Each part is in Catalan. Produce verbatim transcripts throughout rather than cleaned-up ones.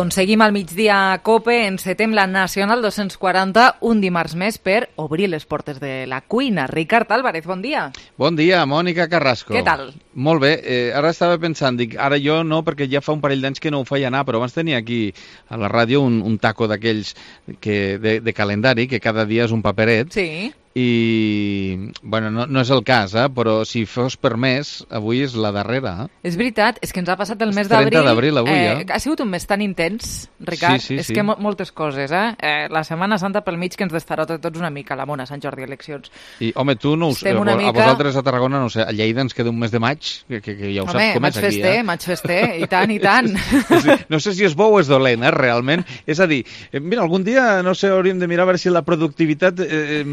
Doncs seguim al migdia a COPE, encetem la Nacional dos-cents quaranta, un dimarts més per obrir les portes de la cuina. Ricard Álvarez, bon dia. Bon dia, Mònica Carrasco. Què tal? Molt bé, eh, ara estava pensant, dic, ara jo no, perquè ja fa un parell d'anys que no ho feia anar, però abans tenia aquí a la ràdio un, un taco d'aquells que de, de calendari, que cada dia és un paperet. Sí. I, bueno, no, no és el cas, eh? Però si fos per mes, avui és la darrera. Eh? És veritat, és que ens ha passat el mes d'abril. trenta d'abril avui, eh? eh? Ha sigut un mes tan intens, Ricard. Sí, sí, és sí. que mo moltes coses, eh? eh? La Setmana Santa pel mig que ens destarota tots una mica, la mona, Sant Jordi, eleccions. I, home, tu no ho sé, a mica... vosaltres a Tarragona, no sé, a Lleida ens queda un mes de maig, que, que, que ja ho home, saps com és aquí, fester, eh? maig fester, i tant, i tant. No sé si és bo o és dolent, eh, realment. És a dir, eh, mira, algun dia, no sé, hauríem de mirar a veure si la productivitat eh,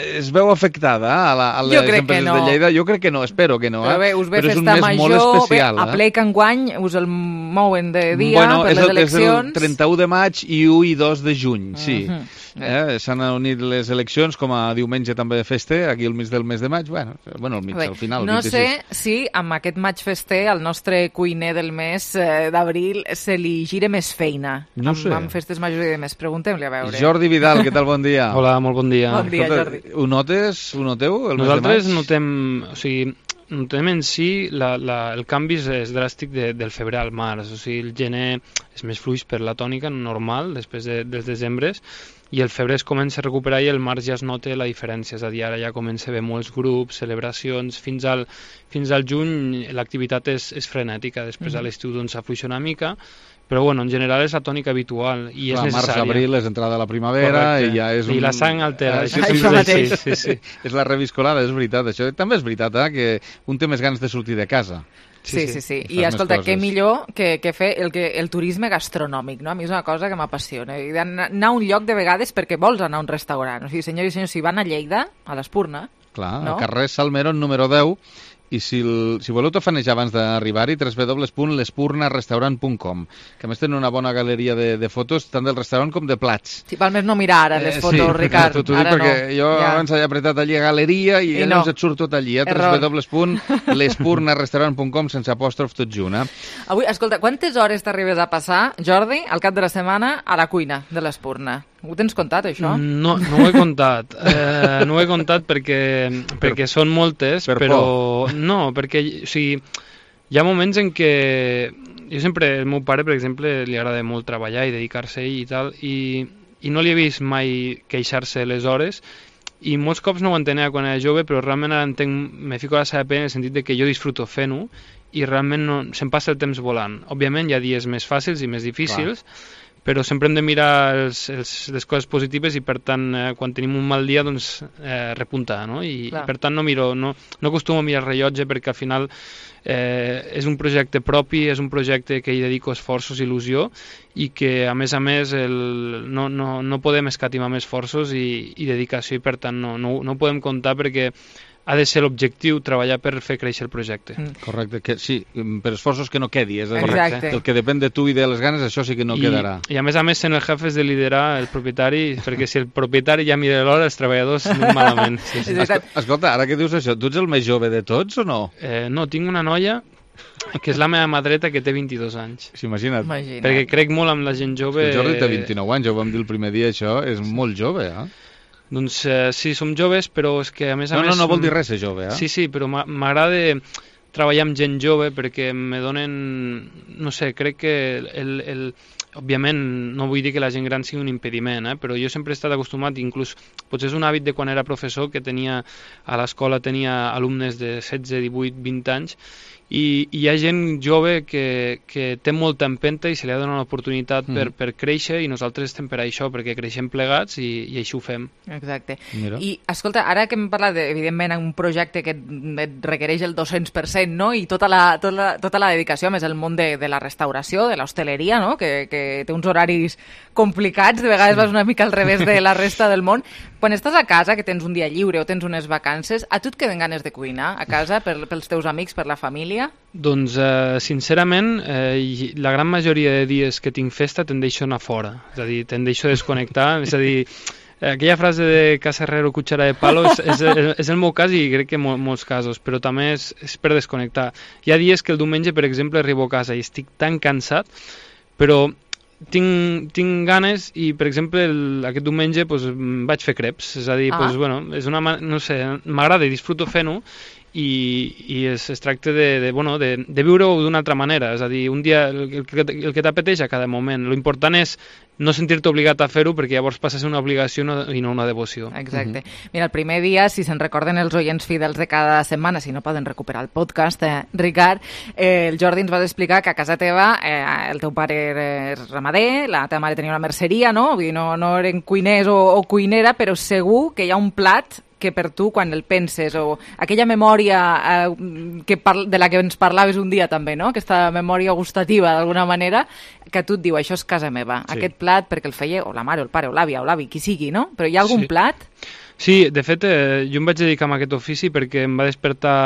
es veu afectada a, la, a les empreses no. de Lleida. Jo crec que no, espero que no. Eh? Però bé, us ve Però festa major, bé, especial, a ple que enguany us el mouen de dia bueno, per les el, eleccions. És el trenta-u de maig i u i dos de juny, sí. Uh -huh. eh? S'han unit les eleccions, com a diumenge també de festa, aquí al mig del mes de maig. Bueno, bueno al mig, bé, al final. No vint-i-sis. sé si amb aquest maig fester al nostre cuiner del mes eh, d'abril se li gire més feina. No amb, sé. amb festes majors i de més. Preguntem-li a veure. Jordi Vidal, què tal? Bon dia. Hola, molt bon dia. Bon dia, Escolta, Jordi. Ho notes? Ho noteu? El Nosaltres mes de maig? notem, o sigui, notem en si la, la, el canvi és, és dràstic de, del febrer al març. O sigui, el gener és més fluix per la tònica normal, després de, dels desembres, i el febrer es comença a recuperar i el març ja es nota la diferència. És a dir, ara ja comença a haver molts grups, celebracions, fins al, fins al juny l'activitat és, és frenètica. Després, mm-hmm. a l'estiu doncs s'afluixa una mica, però bueno, en general és la tònica habitual i és Clar, necessària. Març-abril és entrada a la primavera. Correcte. I ja és un... I la sang altera. Ah, Això, això això mateix. sí, sí, sí. És la reviscolada, és veritat. Això també és veritat, eh? Que un té més ganes de sortir de casa. Sí, sí, sí. sí. I I escolta, què coses. millor que, que fer el, que, el turisme gastronòmic, no? A mi és una cosa que m'apassiona. I anar a un lloc de vegades perquè vols anar a un restaurant. O sigui, senyors i senyors, si van a Lleida, a l'Espurna... Clar, no? al carrer Salmerón número deu, i si, el, si voleu tafanejar abans d'arribar-hi, w w w punt l'espurna restaurant punt com, que a més tenen una bona galeria de, de fotos, tant del restaurant com de plats. Sí, val més no mirar ara les Eh, fotos, sí, Ricard. T'ho dic Ara perquè no. jo Ja. abans he apretat allí a galeria i, I llavors no. et surt tot allí, a Error. w w w punt l'espurna restaurant punt com, sense apòstrof tot junt. Eh? Avui, escolta, quantes hores t'arribes a passar, Jordi, al cap de la setmana, a la cuina de l'Espurna? Ho tens comptat, això? No, no ho he comptat. Eh, no ho he comptat perquè, perquè són moltes, per però no, perquè o sigui, hi ha moments en què jo sempre, el meu pare, per exemple, li agrada molt treballar i dedicar-se a ell i tal, i, i no li he vist mai queixar-se les hores, i molts cops no ho entenia quan era jove, però realment ara entenc, me fico a la seva pena en el sentit de que jo disfruto fent-ho i realment no, se'm passa el temps volant. Òbviament hi ha dies més fàcils i més difícils, clar, però sempre hem de mirar els, els, les coses positives i per tant eh, quan tenim un mal dia doncs eh, repuntar, no? I, i per tant no miro, no, no acostumo a mirar el rellotge perquè al final eh, és un projecte propi, és un projecte que hi dedico esforços i il·lusió i que a més a més el, no, no, no podem escatimar més esforços i, i dedicació i per tant no, no, no podem comptar perquè ha de ser l'objectiu treballar per fer créixer el projecte. Mm. Correcte, que sí, per esforços que no quedi, és a dir, Exacte. el que depèn de tu i de les ganes, això sí que no I, quedarà. I a més a més sent el jefe és de liderar el propietari, perquè si el propietari ja mira l'hora, els treballadors anem malament. Sí, sí. Esco Escolta, ara que dius això, tu ets el més jove de tots o no? Eh, no, tinc una noia que és la meva mà dreta que té vint-i-dos anys. Sí, imagina't. Imagina't. Perquè crec molt amb la gent jove. El Jordi té vint-i-nou anys, ja ho vam dir el primer dia, això és molt jove, eh? Doncs eh, sí, som joves, però és que a més a no, més... No, no vol dir res ser jove, eh? Sí, sí, però m'agrada treballar amb gent jove perquè me donen... No sé, crec que el... el òbviament, no vull dir que la gent gran sigui un impediment, eh? Però jo sempre he estat acostumat, inclús potser és un hàbit de quan era professor, que tenia a l'escola tenia alumnes de setze, divuit, vint anys, i, i hi ha gent jove que, que té molta empenta i se li ha donat l'oportunitat mm. per, per créixer i nosaltres estem per això, perquè creixem plegats i, i així ho fem. Exacte. Mira. I, escolta, ara que hem parlat, de, evidentment, un projecte que et, et requereix el dos-cents per cent, no?, i tota la, tota la, tota la dedicació, més el món de, de la restauració, de l'hostaleria, no?, que, que té uns horaris complicats, de vegades sí. vas una mica al revés de la resta del món. Quan estàs a casa, que tens un dia lliure o tens unes vacances, a tu et queden ganes de cuinar a casa per, pels teus amics, per la família? Doncs, eh, sincerament, eh, la gran majoria de dies que tinc festa tendeixo a anar fora. És a dir, tendeixo a desconnectar. És a dir, aquella frase de casa herrero, cuchara de palo, és, és, és el meu cas i crec que en mol, molts casos, però també és, és per desconnectar. Hi ha dies que el diumenge, per exemple, arribo a casa i estic tan cansat, però tinc, tinc ganes i, per exemple, el, aquest diumenge pues, vaig fer creps, és a dir, ah. pues, bueno, és una, no sé, m'agrada i disfruto fent-ho, i, i es, es tracta de, de, bueno, de, de viure-ho d'una altra manera, és a dir, un dia el, el, el que t'apeteix a cada moment. L'important és no sentir-te obligat a fer-ho, perquè llavors passa a ser una obligació no, i no una devoció. Exacte. Uh-huh. Mira, el primer dia, si se'n recorden els oients fidels de cada setmana, si no poden recuperar el podcast, eh, Ricard, eh, el Jordi ens va explicar que a casa teva eh, el teu pare és ramader, la teva mare tenia una merceria, no? Vull dir, no, no eren cuiners o, o cuinera, però segur que hi ha un plat que per tu, quan el penses, o aquella memòria eh, que par- de la que ens parlaves un dia també, no? Aquesta memòria gustativa, d'alguna manera, que tu et diu, això és casa meva, sí. Aquest plat perquè el feia o la mare, o el pare, o l'àvia, o l'avi, qui sigui, no? Però hi ha algun sí. plat? Sí, de fet, eh, jo em vaig dedicar a aquest ofici perquè em va despertar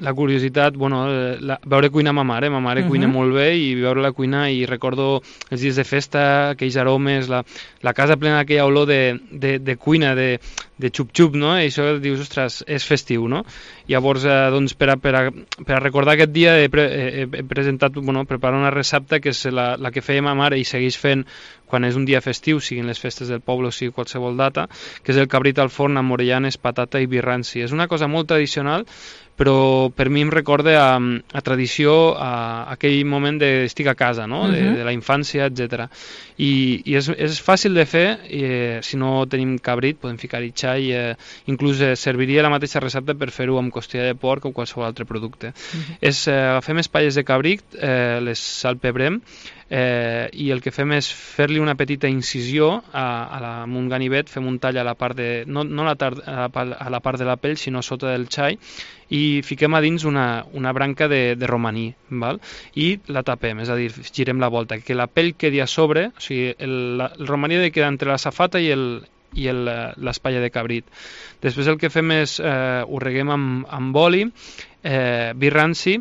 la curiositat, bueno, la, veure cuinar ma mare, ma mare uh-huh. cuina molt bé i veure-la cuinar i recordo els dies de festa, aquells aromes, la, la casa plena d'aquella olor de, de, de cuina, de, de xup-xup, no? I això dius, ostres, és festiu, no? Llavors, eh, doncs, per a, per, a, per a recordar aquest dia he, pre, he, he presentat, bueno, preparar una recepta que és la, la que feia ma mare i segueix fent quan és un dia festiu, siguin les festes del poble o sigui qualsevol data, que és el cabrit al forn amb orellanes, patata i vi ranci. És una cosa molt tradicional, però per mi em recorda a, a tradició, a, a aquell moment de estic a casa, no? de, uh-huh. de la infància, etcètera. I, i és, és fàcil de fer, i, eh, si no tenim cabrit podem ficar-hi xai, eh, inclús eh, serviria la mateixa recepta per fer-ho amb costella de porc o qualsevol altre producte. Uh-huh. És, eh, agafem espatlles de cabrit, eh, les salpebrem, eh, i el que fem és fer-li una petita incisió a, a la, amb un ganivet, fem un tall a la part de, no, no a, la tar, a, la, a la part de la pell, sinó sota del xai, i fiquem a dins una, una branca de, de romaní, val? I la tapem, és a dir, girem la volta, que la pell quedi a sobre, o sigui, el, la, el romaní ha de quedar entre la safata i el i l'espatlla de cabrit. Després el que fem és, eh, ho reguem amb, amb oli, eh, vi ranci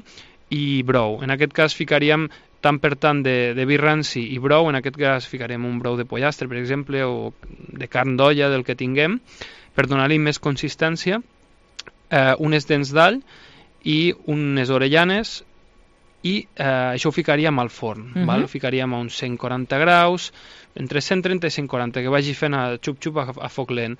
i brou. En aquest cas ficaríem tant per tant de, de vi ranci i brou, en aquest cas ficarem un brou de pollastre, per exemple, o de carn d'olla, del que tinguem, per donar-li més consistència, eh, unes dents d'all i unes orellanes, i eh, això ho ficaríem al forn, uh-huh. val? Ho ficaríem a uns cent quaranta graus, entre cent trenta i cent quaranta, que vagi fent a xup-xup a, a foc lent.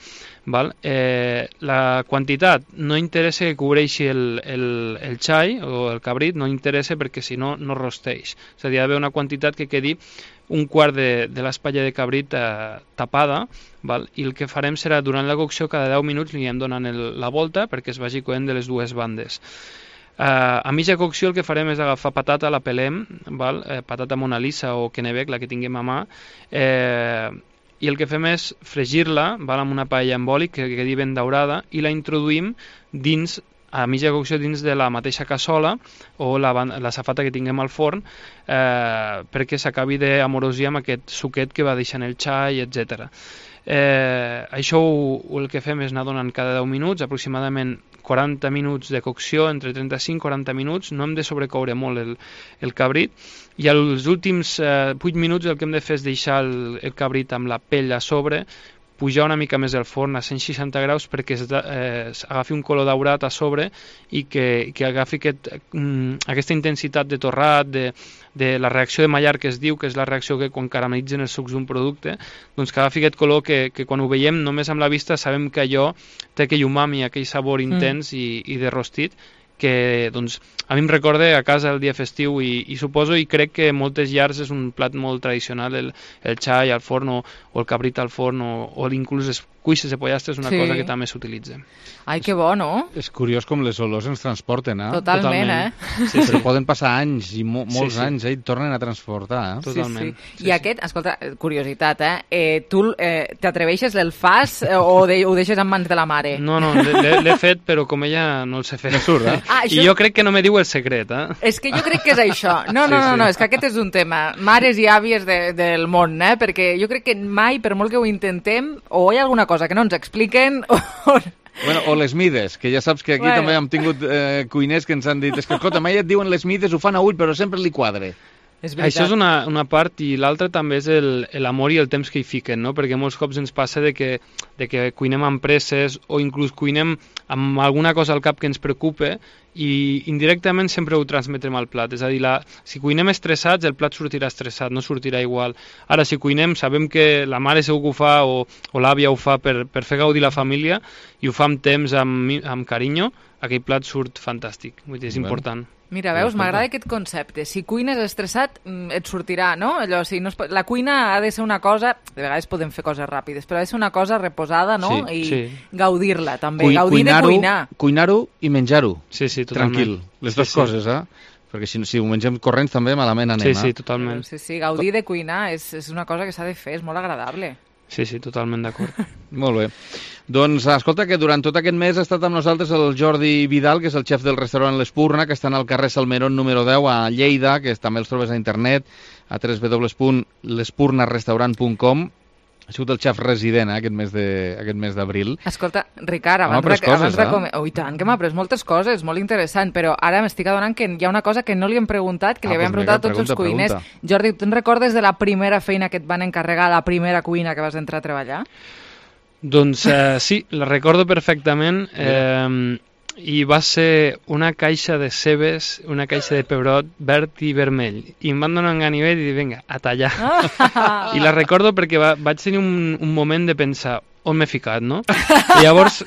Val? Eh, la quantitat no interessa que cobreixi el, el, el xai o el cabrit, no interessa perquè si no, no rosteix. És a dir, hi ha d'haver una quantitat que quedi un quart de, de l'espatlla de cabrit eh, tapada, val? I el que farem serà, durant la cocció, cada deu minuts li anem donant el, la volta perquè es vagi coent de les dues bandes. Uh, a mitja cocció el que farem és agafar patata, la pelem, val? Eh, patata mona lisa o kennebec, la que tinguem a mà, eh, i el que fem és fregir-la, val? Amb una paella amb oli que quedi ben daurada, i la introduïm dins, a mitja cocció, dins de la mateixa cassola o la, la safata que tinguem al forn, eh, perquè s'acabi d'amorosir amb aquest suquet que va deixant el xai, etcètera. Eh, això ho, el que fem és anar donant cada deu minuts, aproximadament quaranta minuts de cocció, entre trenta-cinc i quaranta minuts, no hem de sobrecoure molt el, el cabrit, i als últims eh, vuit minuts el que hem de fer és deixar el, el cabrit amb la pell a sobre, pujar una mica més el forn a cent seixanta graus perquè es, eh, es agafi un color daurat a sobre i que, que agafi aquest, mm, aquesta intensitat de torrat, de, de la reacció de Maillard que es diu, que és la reacció que quan caramelitzen els sucs d'un producte, doncs que agafi aquest color que, que quan ho veiem només amb la vista sabem que allò té aquell umami, aquell sabor intens mm. i, i de rostit, que doncs, a mi em recorda a casa el dia festiu i, i suposo i crec que moltes llars és un plat molt tradicional, el, el xai al forn o, o el cabrit al forn o, o inclús les cuisses de pollastre és una sí. cosa que també s'utilitza. Ai, que bo, no? És curiós com les olors ens transporten, eh? Totalment, Totalment. eh? Sí, sí. Però poden passar anys i mo molts sí, sí. anys, eh? I tornen a transportar, eh? Totalment. Sí, sí. I sí, aquest, sí. escolta, curiositat, eh? eh tu eh, t'atreveixes, el fas eh, o de, ho deixes en mans de la mare? No, no, l'he fet, però com ella no el sé fer. Surt, eh? Ah, això... I jo crec que no me diu el secret, eh? És que jo crec que és això. No, no, no, no, és que aquest és un tema. Mares i àvies de, del món, eh? Perquè jo crec que mai, per molt que ho intentem, o hi ha alguna cosa que no ens expliquen, o... Bueno, o les mides, que ja saps que aquí bueno. també hem tingut eh, cuiners que ens han dit és que, escolta, mai et diuen les mides, ho fan a ull, però sempre li quadre. És Això és una, una part, i l'altra també és l'amor i el temps que hi fiquen, no? Perquè molts cops ens passa de que, de que cuinem amb presses o inclús cuinem amb alguna cosa al cap que ens preocupa i indirectament sempre ho transmetrem al plat. És a dir, la, si cuinem estressats, el plat sortirà estressat, no sortirà igual. Ara, si cuinem, sabem que la mare segur que ho fa o, o l'àvia ho fa per, per fer gaudir la família i ho fa amb temps, amb, amb carinyo, aquell plat surt fantàstic. Vull dir, és bueno. important. Mira, veus, m'agrada aquest concepte. Si cuines estressat, et sortirà, no? Allò, si no es, la cuina ha de ser una cosa... De vegades podem fer coses ràpides, però ha de ser una cosa reposada, no? Sí, I sí. gaudir-la, també. Cui, Gaudir de cuinar. Cuinar-ho i menjar-ho. Sí, sí, totalment. Tranquil. Les dues sí, coses, eh? Perquè si, si ho mengem corrents també malament anem, sí, sí, eh? totalment. Sí, sí, gaudir de cuinar és, és una cosa que s'ha de fer, és molt agradable. Sí, sí, totalment d'acord. Molt bé. Doncs, escolta, que durant tot aquest mes ha estat amb nosaltres el Jordi Vidal, que és el xef del restaurant L'Espurna, que està al carrer Salmerón número deu a Lleida, que també els trobes a internet, a w w w punt l'espurnarestaurant punt com. Ha sigut el xef resident eh, aquest mes de, aquest mes d'abril. Escolta, Ricard, abans, de, coses, abans de... Eh? Com... Oh, i tant, que m'ha après moltes coses, molt interessant, però ara m'estic adonant que hi ha una cosa que no li hem preguntat, que ah, li havíem pues preguntat a tots pregunta, els cuiners. Pregunta. Jordi, tu te'n recordes de la primera feina que et van encarregar, la primera cuina que vas entrar a treballar? Doncs eh, sí, la recordo perfectament. Eh, i va ser una caixa de cebes, una caixa de pebrot verd i vermell. I em van donar un ganivet i dir, vinga, a tallar. Ah. I la recordo perquè va, vaig tenir un, un moment de pensar, on m'he ficat, no? I llavors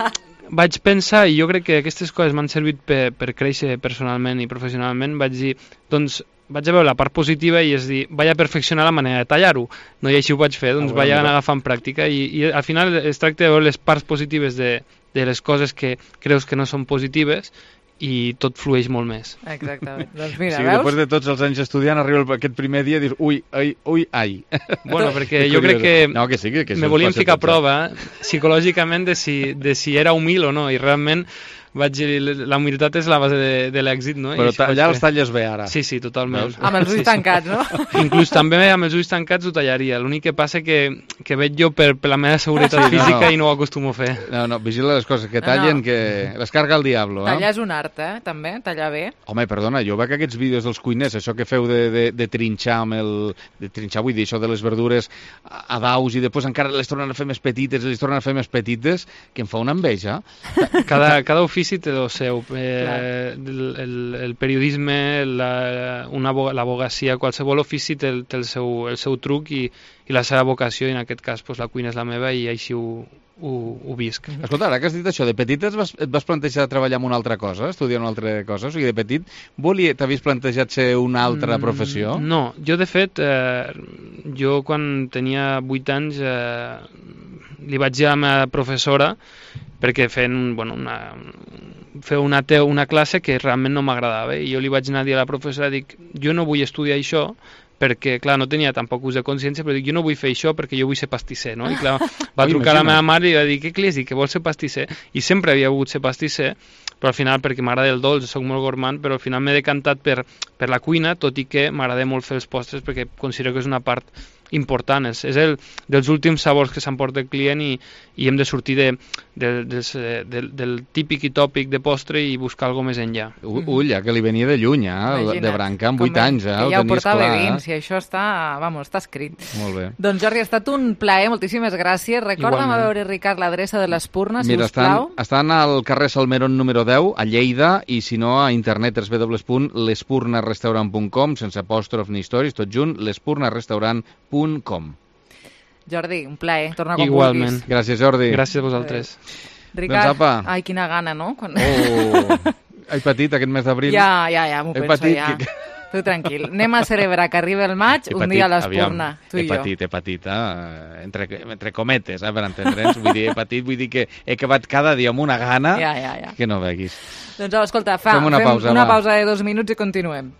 vaig pensar, i jo crec que aquestes coses m'han servit per, per créixer personalment i professionalment, vaig dir, doncs, vaig a veure la part positiva i és dir, vaig a perfeccionar la manera de tallar-ho. No, i així ho vaig fer, doncs ah, vaig anar agafant pràctica i, i al final es tracta de veure les parts positives de, de les coses que creus que no són positives i tot flueix molt més. Exactament. Doncs mira, sí, veus? Després de tots els anys estudiant, arriba aquest primer dia i dius, ui, ai, ui, ai. Bueno, perquè jo crec que, no, que, sí, que, que me volien ficar a prova psicològicament de si, de si era humil o no, i realment vaig dir, la humilitat és la base de, de l'èxit, no? Però allà els talles bé, ara. Sí, sí, totalment. Veus? Amb els ulls sí, tancats, no? Inclús també amb els ulls tancats ho tallaria. L'únic que passa que, que veig jo per, per la meva seguretat sí, física no, no. i no ho acostumo a fer. No, no, vigila les coses que tallen, no, no. que les carga el diablo. Eh? Tallar és un art, eh? També, tallar bé. Home, perdona, jo veig aquests vídeos dels cuiners, això que feu de, de, de trinxar amb el... De trinxar, vull dir, això de les verdures a daus i després encara les tornen a fer més petites, les tornen a fer més petites, que em fa una enveja. Cada, cada ofici té el seu. Eh, el, el, el periodisme, la, una, l'advocacia, qualsevol ofici té, el, té el, seu, el seu truc i, i la seva vocació, i en aquest cas pues, la cuina és la meva i així ho, ho, ho visc. Escolta, ara que has dit això, de petit et vas, et vas plantejar treballar en una altra cosa, estudiar una altra cosa? O sigui, de petit t'havies plantejat ser una altra professió? Mm, no, jo de fet, eh, jo quan tenia vuit anys eh, li vaig dir a la meva professora perquè fent bueno, una, fer una, una classe que realment no m'agradava i jo li vaig anar a dir a la professora, dic, jo no vull estudiar això perquè, clar, no tenia tampoc ús de consciència, però dic, jo no vull fer això perquè jo vull ser pastisser, no? I clar, va trucar a la meva mare i va dir, què li has dit, que vols ser pastisser? I sempre havia volgut ser pastisser, però al final, perquè m'agrada el dolç, soc molt gourmand, però al final m'he decantat per, per la cuina, tot i que m'agrada molt fer els postres perquè considero que és una part important, és, és el dels últims sabors que s'emporta el client i, i hem de sortir de, de, de, de, del típic i tòpic de postre i buscar alguna més enllà. Ull, ja que li venia de lluny, eh? De branca, amb vuit anys, eh? Que ja ho portava dins, i això està, vamos, està escrit. Molt bé. Doncs Jordi, ha estat un plaer, moltíssimes gràcies. Recorda'm a veure, Ricard, l'adreça de l'Espurna, si us plau. Estan, estan al carrer Salmerón número deu, a Lleida, i si no, a internet, w w w punt l'espurnarestaurant punt com, sense apòstrof ni històries, tot junt, l'espurnarestaurant punt com. Jordi, un plaer. Torna com Igualment. vulguis. Gràcies, Jordi. Gràcies a vosaltres. Ricard, doncs, apa. Ai, quina gana, no? Quan... Oh, he patit aquest mes d'abril. Ja, ja, ja, m'ho penso, patit, ja. Que... Tu tranquil. Anem a celebrar que arriba el maig, un dia a l'Espurna, tu i he jo. Patit, he patit, eh? entre, entre cometes, eh? per entendre'ns. Vull dir, he patit, vull dir que he acabat cada dia amb una gana ja, ja, ja. que no veguis. Doncs escolta, fa, fem una fem pausa, una va. pausa de dos minuts i continuem.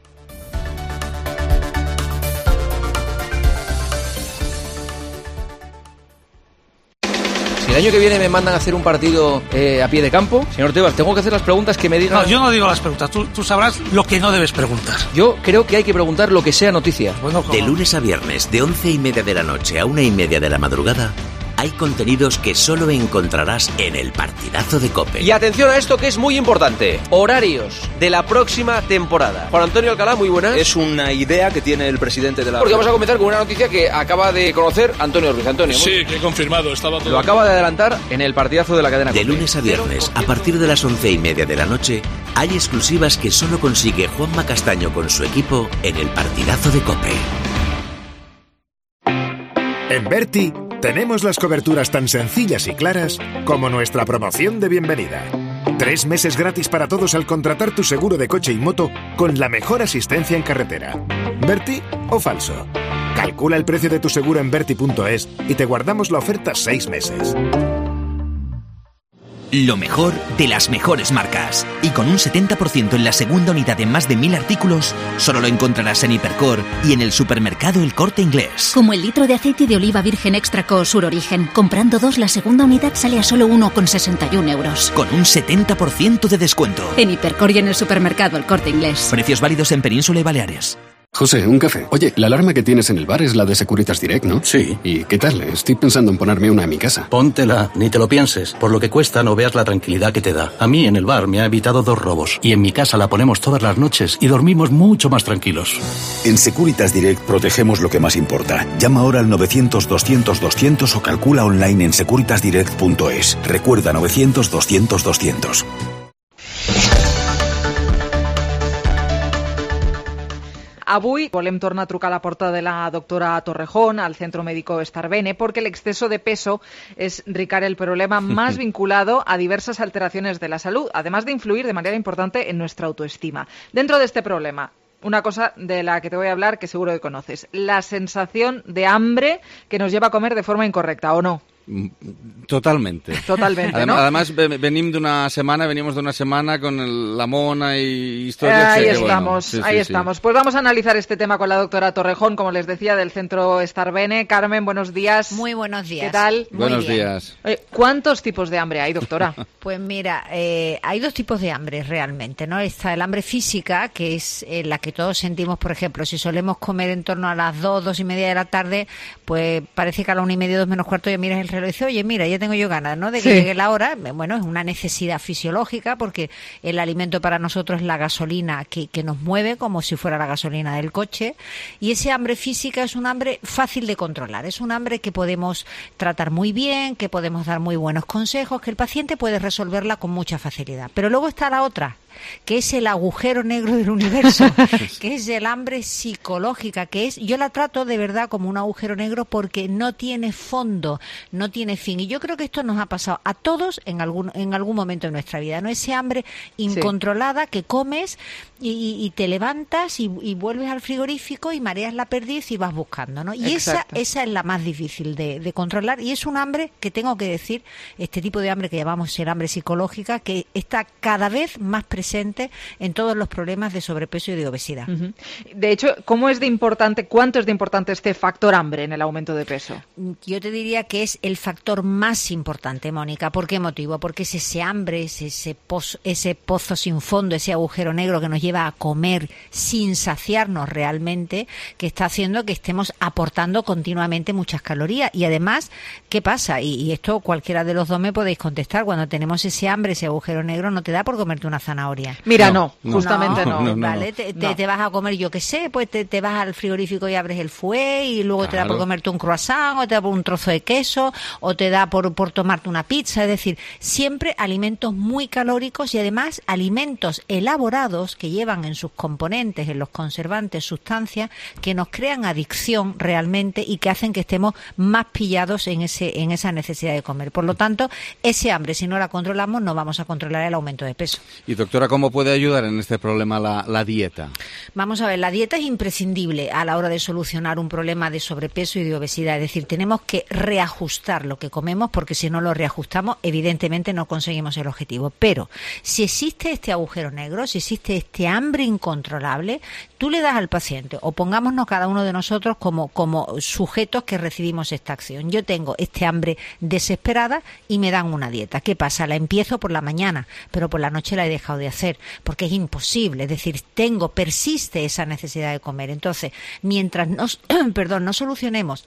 Si el año que viene me mandan a hacer un partido eh, a pie de campo, señor Tebas, tengo que hacer las preguntas que me digan... No, yo no digo las preguntas, tú, tú sabrás lo que no debes preguntar. Yo creo que hay que preguntar lo que sea noticia. Bueno, ¿cómo? De lunes a viernes, de once y media de la noche a una y media de la madrugada, hay contenidos que solo encontrarás en el partidazo de COPE. Y atención a esto que es muy importante. Horarios de la próxima temporada. Juan Antonio Alcalá, muy buenas. Es una idea que tiene el presidente de la... Porque vamos a comenzar con una noticia que acaba de conocer Antonio Ruiz. Antonio. Sí, que he confirmado. Estaba todo... Lo acaba de adelantar en el partidazo de la cadena De COPE. lunes a viernes, a partir de las once y media de la noche, hay exclusivas que solo consigue Juanma Castaño con su equipo en el partidazo de COPE. En Berti tenemos las coberturas tan sencillas y claras como nuestra promoción de bienvenida. Tres meses gratis para todos al contratar tu seguro de coche y moto con la mejor asistencia en carretera. ¿Berti o falso? Calcula el precio de tu seguro en berti punto es y te guardamos la oferta seis meses. Lo mejor de las mejores marcas. Y con un setenta por ciento en la segunda unidad en más de mil artículos, solo lo encontrarás en Hipercor y en el supermercado El Corte Inglés. Como el litro de aceite de oliva virgen extra co Sur Origen. Comprando dos, la segunda unidad sale a solo uno con sesenta y un euros. Con un setenta por ciento de descuento. En Hipercor y en el supermercado El Corte Inglés. Precios válidos en Península y Baleares. José, un café. Oye, la alarma que tienes en el bar es la de Securitas Direct, ¿no? Sí. ¿Y qué tal? Estoy pensando en ponerme una en mi casa. Póntela, ni te lo pienses. Por lo que cuesta no veas la tranquilidad que te da. A mí en el bar me ha evitado dos robos. Y en mi casa la ponemos todas las noches y dormimos mucho más tranquilos. En Securitas Direct protegemos lo que más importa. Llama ahora al novecientos doscientos doscientos o calcula online en securitas direct punto es. Recuerda novecientos doscientos doscientos. Avui volem tornar a trucar a la porta de la doctora Torrejón al Centro Médico Starbene porque el exceso de peso es, Ricard, el problema más vinculado a diversas alteraciones de la salud, además de influir de manera importante en nuestra autoestima. Dentro de este problema, una cosa de la que te voy a hablar que seguro que conoces, la sensación de hambre que nos lleva a comer de forma incorrecta, ¿o no? Totalmente. Totalmente, además, ¿no? Además, venimos de una semana, venimos de una semana con el, la mona y historias. Ahí que, estamos, bueno, sí, ahí sí, estamos. Sí. Pues vamos a analizar este tema con la doctora Torrejón, como les decía, del Centro Starbene. Carmen, buenos días. Muy buenos días. ¿Qué tal? Muy buenos bien. días. Oye, ¿cuántos tipos de hambre hay, doctora? Pues mira, eh, hay dos tipos de hambre realmente, ¿no? Está el hambre física, que es eh, la que todos sentimos, por ejemplo, si solemos comer en torno a las dos, dos y media de la tarde, pues parece que a la una y media, dos menos cuarto ya miras el reloj y dices, oye, mira, ya tengo yo ganas, ¿no? De que sí. llegue la hora. Bueno, es una necesidad fisiológica porque el alimento para nosotros es la gasolina que, que nos mueve como si fuera la gasolina del coche, y ese hambre física es un hambre fácil de controlar, es un hambre que podemos tratar muy bien, que podemos dar muy buenos consejos, que el paciente puede resolverla con mucha facilidad. Pero luego está la otra, que es el agujero negro del universo, que es el hambre psicológica, que es, yo la trato de verdad como un agujero negro porque no tiene fondo, no tiene fin. Y yo creo que esto nos ha pasado a todos en algún en algún momento de nuestra vida, ¿no? Ese hambre incontrolada sí. que comes y, y, y te levantas y, y vuelves al frigorífico y mareas la perdiz y vas buscando, ¿no? Y esa, esa es la más difícil de, de controlar, y es un hambre que tengo que decir, este tipo de hambre que llamamos el hambre psicológica, que está cada vez más presente en todos los problemas de sobrepeso y de obesidad. Uh-huh. De hecho, ¿cómo es de importante, cuánto es de importante este factor hambre en el aumento de peso? Yo te diría que es el factor más importante, Mónica. ¿Por qué motivo? Porque es ese hambre, es ese pozo, ese pozo sin fondo, ese agujero negro que nos lleva a comer sin saciarnos realmente, que está haciendo que estemos aportando continuamente muchas calorías. Y además, ¿qué pasa? Y, y esto cualquiera de los dos me podéis contestar. Cuando tenemos ese hambre, ese agujero negro, no te da por comerte una zanahoria. Mira, no, no justamente no. no. no vale, te, te, no. te vas a comer, yo qué sé, pues te, te vas al frigorífico y abres el fouet y luego claro. te da por comerte un croissant, o te da por un trozo de queso, o te da por, por tomarte una pizza. Es decir, siempre alimentos muy calóricos y además alimentos elaborados que llevan en sus componentes, en los conservantes, sustancias que nos crean adicción realmente y que hacen que estemos más pillados en ese en esa necesidad de comer. Por lo tanto, ese hambre, si no la controlamos, no vamos a controlar el aumento de peso. Y doctora, ¿cómo puede ayudar en este problema la, la dieta? Vamos a ver, la dieta es imprescindible a la hora de solucionar un problema de sobrepeso y de obesidad. Es decir, tenemos que reajustar lo que comemos porque si no lo reajustamos, evidentemente no conseguimos el objetivo. Pero si existe este agujero negro, si existe este hambre incontrolable, tú le das al paciente, o pongámonos cada uno de nosotros como, como sujetos que recibimos esta acción. Yo tengo este hambre desesperada y me dan una dieta. ¿Qué pasa? La empiezo por la mañana, pero por la noche la he dejado de hacer, porque es imposible, es decir, tengo, persiste esa necesidad de comer. Entonces, mientras no, perdón, no solucionemos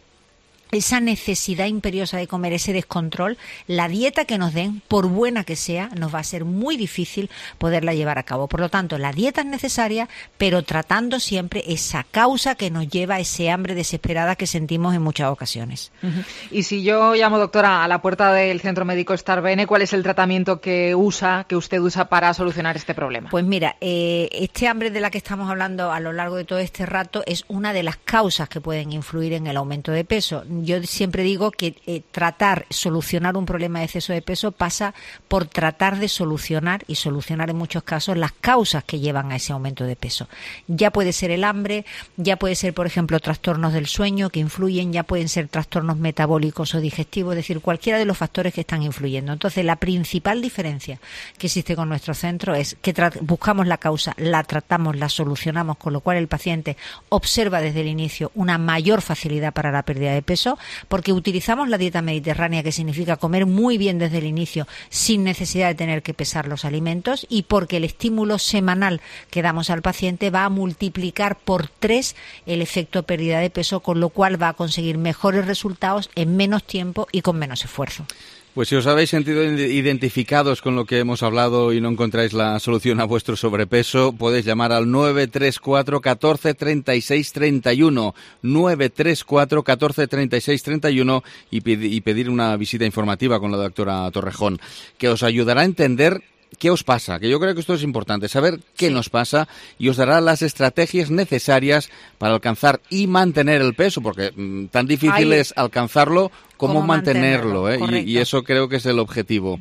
esa necesidad imperiosa de comer, ese descontrol, la dieta que nos den, por buena que sea, nos va a ser muy difícil poderla llevar a cabo. Por lo tanto, la dieta es necesaria, pero tratando siempre esa causa que nos lleva a ese hambre desesperada que sentimos en muchas ocasiones. Uh-huh. Y si yo llamo, doctora, a la puerta del Centro Médico Starbene, ¿cuál es el tratamiento que usa, que usted usa para solucionar este problema? Pues mira, eh, este hambre de la que estamos hablando a lo largo de todo este rato es una de las causas que pueden influir en el aumento de peso. Yo siempre digo que eh, tratar, solucionar un problema de exceso de peso pasa por tratar de solucionar, y solucionar en muchos casos, las causas que llevan a ese aumento de peso. Ya puede ser el hambre, ya puede ser, por ejemplo, trastornos del sueño que influyen, ya pueden ser trastornos metabólicos o digestivos, es decir, cualquiera de los factores que están influyendo. Entonces, la principal diferencia que existe con nuestro centro es que buscamos la causa, la tratamos, la solucionamos, con lo cual el paciente observa desde el inicio una mayor facilidad para la pérdida de peso, porque utilizamos la dieta mediterránea, que significa comer muy bien desde el inicio sin necesidad de tener que pesar los alimentos, y porque el estímulo semanal que damos al paciente va a multiplicar por tres el efecto pérdida de peso, con lo cual va a conseguir mejores resultados en menos tiempo y con menos esfuerzo. Pues si os habéis sentido identificados con lo que hemos hablado y no encontráis la solución a vuestro sobrepeso, podéis llamar al nueve tres cuatro, uno cuatro, tres seis tres uno, nueve tres cuatro, uno cuatro, tres seis tres uno y pedir una visita informativa con la doctora Torrejón, que os ayudará a entender qué os pasa, que yo creo que esto es importante, saber qué sí. nos pasa, y os dará las estrategias necesarias para alcanzar y mantener el peso, porque mmm, tan difícil Ay. es alcanzarlo como mantenerlo, mantenerlo ¿eh? y, y eso creo que es el objetivo.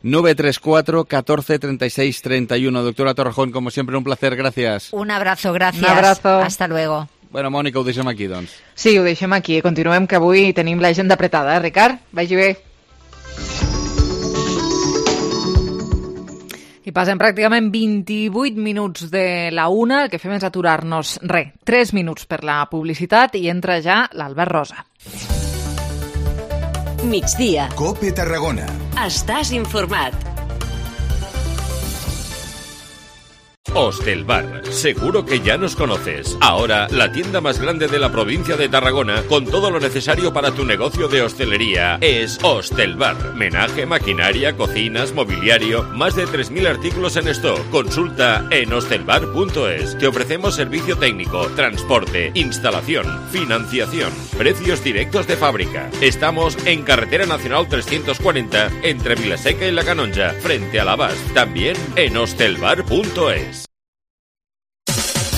nueve tres cuatro, uno cuatro, tres seis tres uno. Doctora Torrejón, como siempre, un placer, gracias. Un abrazo, gracias. Un abrazo. Hasta luego. Bueno, Mònica, ho deixem aquí, doncs. Sí, ho deixem aquí. Continuem, que avui tenim l'agenda apretada, eh, Ricard? Vagi bé. I passem pràcticament vint-i-vuit minuts de la una, el que fem és aturar-nos, re, tres minuts per la publicitat, i entra ja l'Albert Rosa. Migdia. COPE Tarragona. Estàs informat. Hostelbar, seguro que ya nos conoces. Ahora, la tienda más grande de la provincia de Tarragona, con todo lo necesario para tu negocio de hostelería, es Hostelbar. Menaje, maquinaria, cocinas, mobiliario, más de tres mil artículos en stock. Consulta en hostelbar punto es. Te ofrecemos servicio técnico, transporte, instalación, financiación, precios directos de fábrica. Estamos en Carretera Nacional trescientos cuarenta, entre Vilaseca y La Canonja, frente a la Bas. También en hostelbar punto es.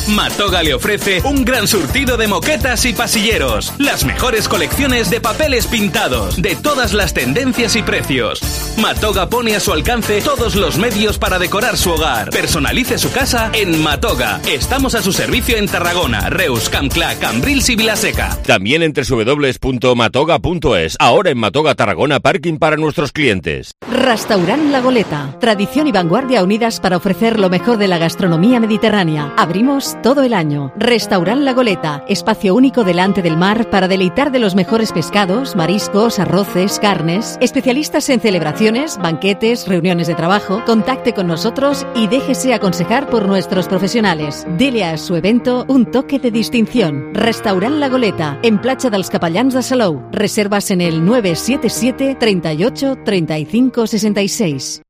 Matoga le ofrece un gran surtido de moquetas y pasilleros, las mejores colecciones de papeles pintados, de todas las tendencias y precios. Matoga pone a su alcance todos los medios para decorar su hogar. Personalice su casa en Matoga. Estamos a su servicio en Tarragona, Reus, Campclà, Cambrils y Vilaseca. También en doble u doble u doble u punto matoga punto es. Ahora en Matoga Tarragona, parking para nuestros clientes. Restaurant La Goleta. Tradición y vanguardia unidas para ofrecer lo mejor de la gastronomía mediterránea. Abrimos todo el año. Restaurant La Goleta, espacio único delante del mar para deleitar de los mejores pescados, mariscos, arroces, carnes. Especialistas en celebraciones, banquetes, reuniones de trabajo. Contacte con nosotros y déjese aconsejar por nuestros profesionales. Dele a su evento un toque de distinción. Restaurant La Goleta, en Platja dels Capellans de Salou. Reservas en el nueve siete siete, treinta y ocho, treinta y cinco, sesenta y seis.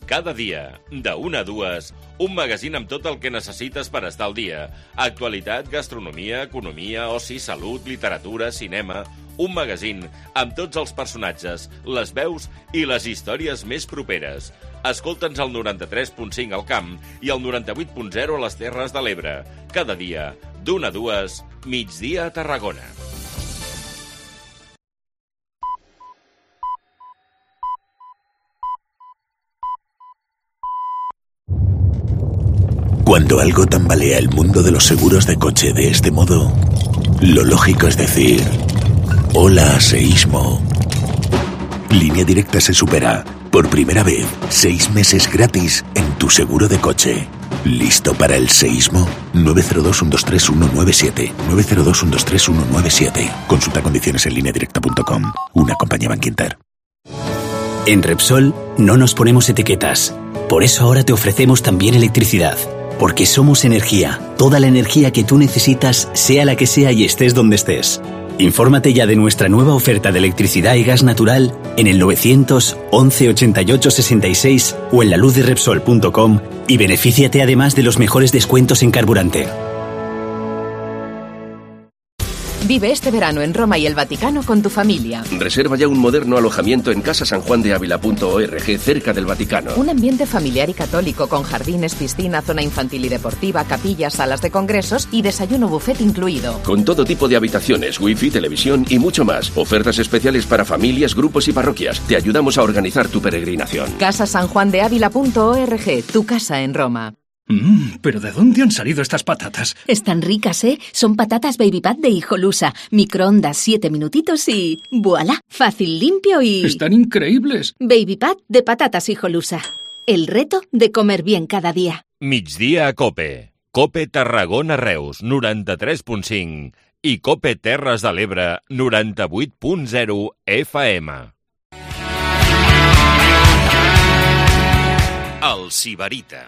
Cada dia, de una a dues, un magazín amb tot el que necessites per estar al dia. Actualitat, gastronomia, economia, oci, salut, literatura, cinema... Un magazín amb tots els personatges, les veus i les històries més properes. Escolta'ns al noranta-tres punt cinc al Camp i al noranta-vuit punt zero a les Terres de l'Ebre. Cada dia, d'una a dues, migdia a Tarragona. Cuando algo tambalea el mundo de los seguros de coche de este modo, lo lógico es decir: hola, seísmo. Línea Directa se supera. Por primera vez, seis meses gratis en tu seguro de coche. ¿Listo para el seísmo? nueve cero dos, uno dos tres, uno nueve siete. nueve cero dos, uno dos tres, uno nueve siete. Consulta condiciones en línea directa punto com. Una compañía Bankinter. En Repsol no nos ponemos etiquetas. Por eso ahora te ofrecemos también electricidad. porque somos energía. Toda la energía que tú necesitas, sea la que sea y estés donde estés. Infórmate ya de nuestra nueva oferta de electricidad y gas natural en el novecientos once ochenta y ocho sesenta y seis o en la luz de repsol punto com y benefíciate además de los mejores descuentos en carburante. Vive este verano en Roma y el Vaticano con tu familia. Reserva ya un moderno alojamiento en casa san juan de ávila punto org, cerca del Vaticano. Un ambiente familiar y católico con jardines, piscina, zona infantil y deportiva, capillas, salas de congresos y desayuno buffet incluido. Con todo tipo de habitaciones, wifi, televisión y mucho más. Ofertas especiales para familias, grupos y parroquias. Te ayudamos a organizar tu peregrinación. casa san juan de ávila punto org, tu casa en Roma. Mmm, ¿pero de dónde han salido estas patatas? Están ricas, ¿eh? Son patatas Baby Pat de Hijolusa. Microondas siete minutitos y... ¡Voilá! Fácil, limpio y... ¡Están increíbles! Baby Pat de patatas Hijolusa. El reto de comer bien cada día. Migdia a Cope. Cope Tarragona Reus, noranta-tres punt cinc. I Cope Terres de l'Ebre, noranta-vuit punt zero F M. El Sibarita.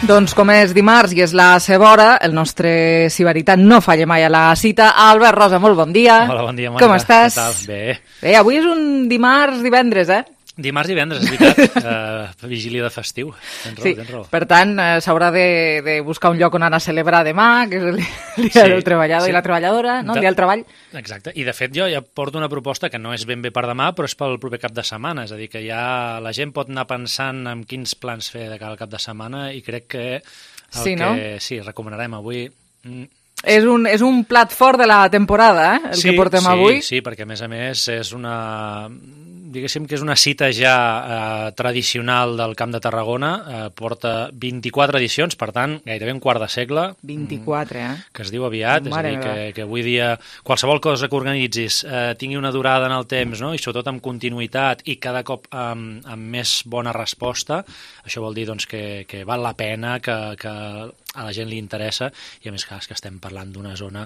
Doncs com és dimarts i és la seva hora, el nostre Sibarita no falla mai a la cita. Albert Rosa, molt bon dia. Hola, bon dia, Marta. Com estàs? Què tal? Bé. Bé, avui és un dimarts, divendres, eh? Dimarts i divendres, és veritat. uh, vigília de festiu. Tens raó, sí, tens raó. Per tant, eh, s'haurà de, de buscar un lloc on anar a celebrar demà, que és el dia sí, del treballador sí. i la treballadora, no? De... el dia del treball. Exacte. I, de fet, jo ja porto una proposta que no és ben bé per demà, però és pel proper cap de setmana. És a dir, que ja la gent pot anar pensant en quins plans fer de cara al cap de setmana i crec que el sí, que no? sí, recomanarem avui... Mm, És un, és un plat fort de la temporada, eh? El sí, que portem sí, avui. Sí, perquè a més a més és una... diguéssim que és una cita ja eh, tradicional del Camp de Tarragona, eh, porta vint-i-quatre edicions, per tant, gairebé un quart de segle. vint-i-quatre, eh? Que es diu aviat, Mare és a dir, que, que avui dia qualsevol cosa que organitzis eh, tingui una durada en el temps, no? I sobretot amb continuïtat i cada cop amb, amb més bona resposta, això vol dir doncs, que, que val la pena, que, que a la gent li interessa, i a més que estem parlant d'una zona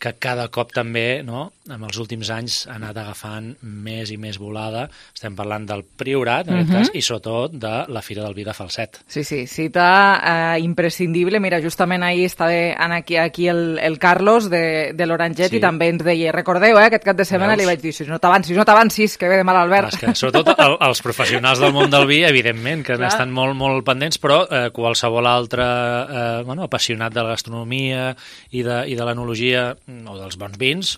que cada cop també, no, en els últims anys ha anat agafant més i més volada. Estem parlant del Priorat, en uh-huh. aquest cas, i sobretot de la Fira del Vi de Falset. Sí, sí, cita eh, imprescindible. Mira, justament ahir estava aquí, aquí el, el Carlos de, de l'Oranget sí. i també ens deia, recordeu, eh, aquest cap de setmana li vaig dir, si no t'avancis, no t'avancis, que ve de mal Albert. Que, sobretot el, els professionals del món del vi, evidentment, que estan molt, molt pendents, però eh, qualsevol altre eh, bueno, apassionat de la gastronomia i de, i de l'enologia o dels bons vins,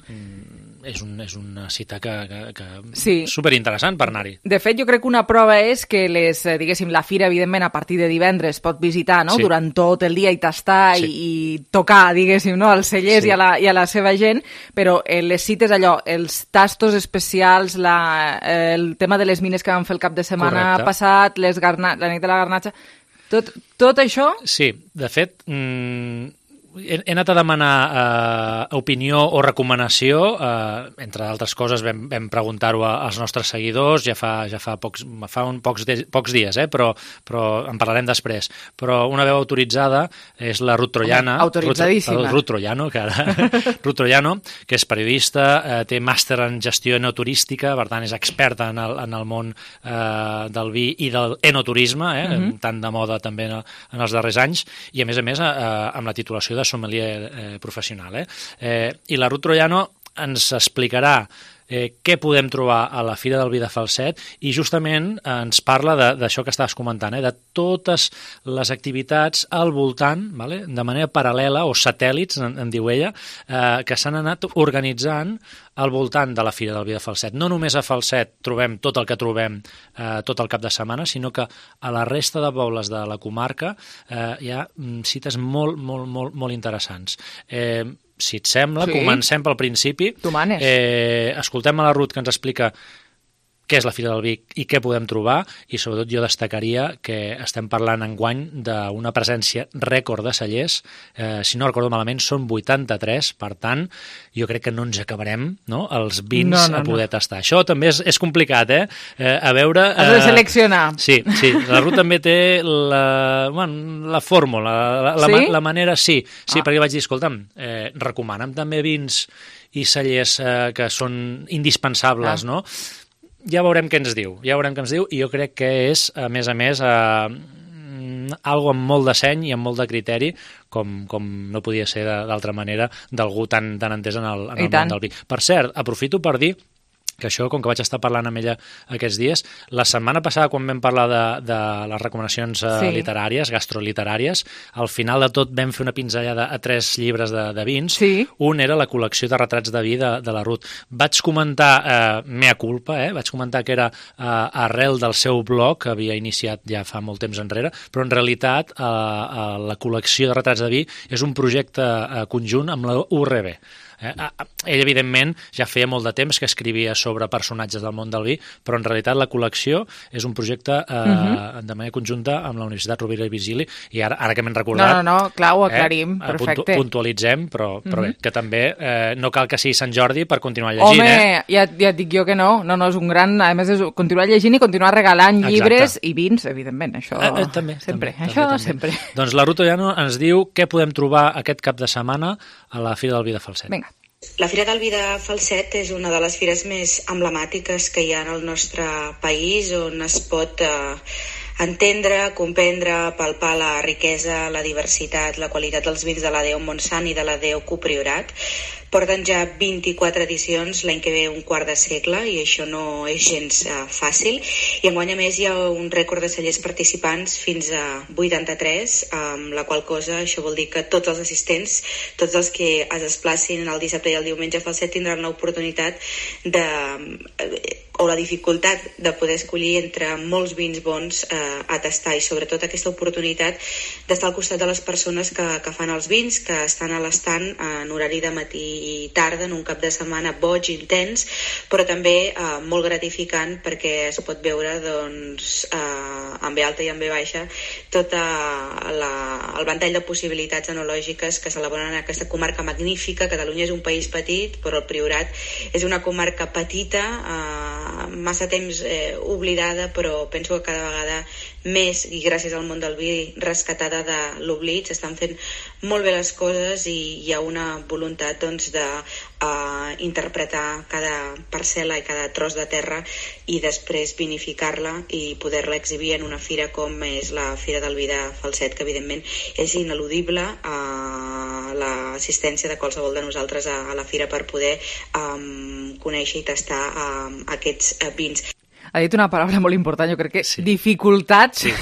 és, un, és una cita que, que, que sí. superinteressant per anar-hi. De fet, jo crec que una prova és que les, diguéssim, la fira, evidentment, a partir de divendres pot visitar, no?, sí. durant tot el dia i tastar sí. i, i tocar, diguéssim, no?, als cellers sí. i, a la, i a la seva gent, però eh, les cites, allò, els tastos especials, la, eh, el tema de les mines que vam fer el cap de setmana Correcte. passat, les garna, la nit de la garnatxa, tot, tot això... Sí, de fet... Mm... He anat a demanar eh, opinió o recomanació, eh, entre altres coses vam, vam preguntar-ho als nostres seguidors, ja fa, ja fa, pocs, fa un pocs, de, pocs dies, eh, però, però en parlarem després. Però una veu autoritzada és la Ruth Troiano. Autoritzadíssima. Ruth Troiano, que, ara, Ruth Troiano, que és periodista, eh, té màster en gestió enoturística, per tant és experta en el, en el món eh, del vi i del enoturisme, eh, uh-huh. tant de moda també en, en els darrers anys, i a més a més eh, amb la titulació de sommelier eh, professional. Eh? Eh, I la Ruth Troiano ens explicarà eh, què podem trobar a la Fira del Vi de Falset i justament eh, ens parla d'això que estaves comentant, eh, de totes les activitats al voltant, vale? De manera paral·lela o satèl·lits, en, en diu ella, eh, que s'han anat organitzant al voltant de la Fira del Vi de Falset. No només a Falset trobem tot el que trobem eh, tot el cap de setmana, sinó que a la resta de pobles de la comarca eh, hi ha cites molt, molt, molt, molt interessants. Eh, si et sembla, sí. comencem pel principi. Tu manes. Eh, escoltem a la Ruth que ens explica què és la Fira del Vi i què podem trobar, i sobretot jo destacaria que estem parlant enguany d'una presència rècord de cellers, eh, si no recordo malament són vuitanta-tres, per tant jo crec que no ens acabarem, no?, els vins no, no, a poder no. tastar. Això també és, és complicat, eh? eh a veure... Has de seleccionar. Eh, sí, sí, la Ruth també té la, bueno, la fórmula, la, la, sí? la manera, sí, sí, ah. perquè vaig dir, escolta'm, eh, recomana'm també vins i cellers eh, que són indispensables, ah. no?, ja veurem què ens diu, ja veurem què ens diu, i jo crec que és, a més a més, eh, algo amb molt de seny i amb molt de criteri, com, com no podia ser d'altra manera, d'algú tan, tan entès en el, en el món del vi. Per cert, aprofito per dir que això, com que vaig estar parlant amb ella aquests dies, la setmana passada, quan vam parlar de, de les recomanacions eh, sí. literàries, gastroliteràries, al final de tot vam fer una pinzellada a tres llibres de, de vins. Sí. Un era la col·lecció de retrats de vi de, de la Ruth. Vaig comentar, eh, mea culpa, eh, vaig comentar que era eh, arrel del seu blog, que havia iniciat ja fa molt temps enrere, però en realitat eh, eh, la col·lecció de retrats de vi és un projecte eh, conjunt amb la U R B. Eh, ell, evidentment, ja feia molt de temps que escrivia sobre personatges del món del vi, però en realitat la col·lecció és un projecte eh, uh-huh. de manera conjunta amb la Universitat Rovira i Virgili, i ara, ara que m'hem recordat... No, no, no, clar, ho aclarim, eh, perfecte. Puntu, puntualitzem, però, però uh-huh. bé, que també eh, no cal que sigui Sant Jordi per continuar llegint, Home, eh? Home, ja, ja et dic jo que no, no, no, és un gran... A més, és continuar llegint i continuar regalant Exacte. Llibres i vins, evidentment, això eh, eh, també, sempre, també, això també, sempre. També. Doncs la Ruth Ollano ens diu què podem trobar aquest cap de setmana a la Fira del Vi de Falset. Vinga. La Fira del Vi de Falset és una de les fires més emblemàtiques que hi ha en el nostre país, on es pot eh, entendre, comprendre, palpar la riquesa, la diversitat, la qualitat dels vins de la Déu Montsant i de la Déu Copriorat. Porten ja vint-i-quatre edicions, l'any que ve un quart de segle, i això no és gens uh, fàcil. I enguany, a més, hi ha un rècord de cellers participants fins a vuitanta-tres, amb la qual cosa això vol dir que tots els assistents, tots els que es desplacin el dissabte i el diumenge a Falset tindran l'oportunitat de... o la dificultat de poder escollir entre molts vins bons eh, a tastar, i sobretot aquesta oportunitat d'estar al costat de les persones que, que fan els vins, que estan a l'estant en horari de matí i tarda, en un cap de setmana boig, intens, però també eh, molt gratificant, perquè es pot veure doncs, eh, en ve alta i en ve baixa tot la, el ventall de possibilitats enològiques que s'elaboren en aquesta comarca magnífica. Catalunya és un país petit, però el Priorat és una comarca petita, eh, massa temps eh, oblidada, però penso que cada vegada més, i gràcies al món del vi, rescatada de l'oblit. S'estan fent molt bé les coses i hi ha una voluntat doncs, de uh, interpretar cada parcel·la i cada tros de terra i després vinificar-la i poder-la exhibir en una fira com és la Fira del Vi de Falset, que evidentment és ineludible uh, l'assistència de qualsevol de nosaltres a, a la fira per poder um, conèixer i tastar um, aquests uh, vins. Ha dit una paraula molt important, jo crec que sí. dificultats sí,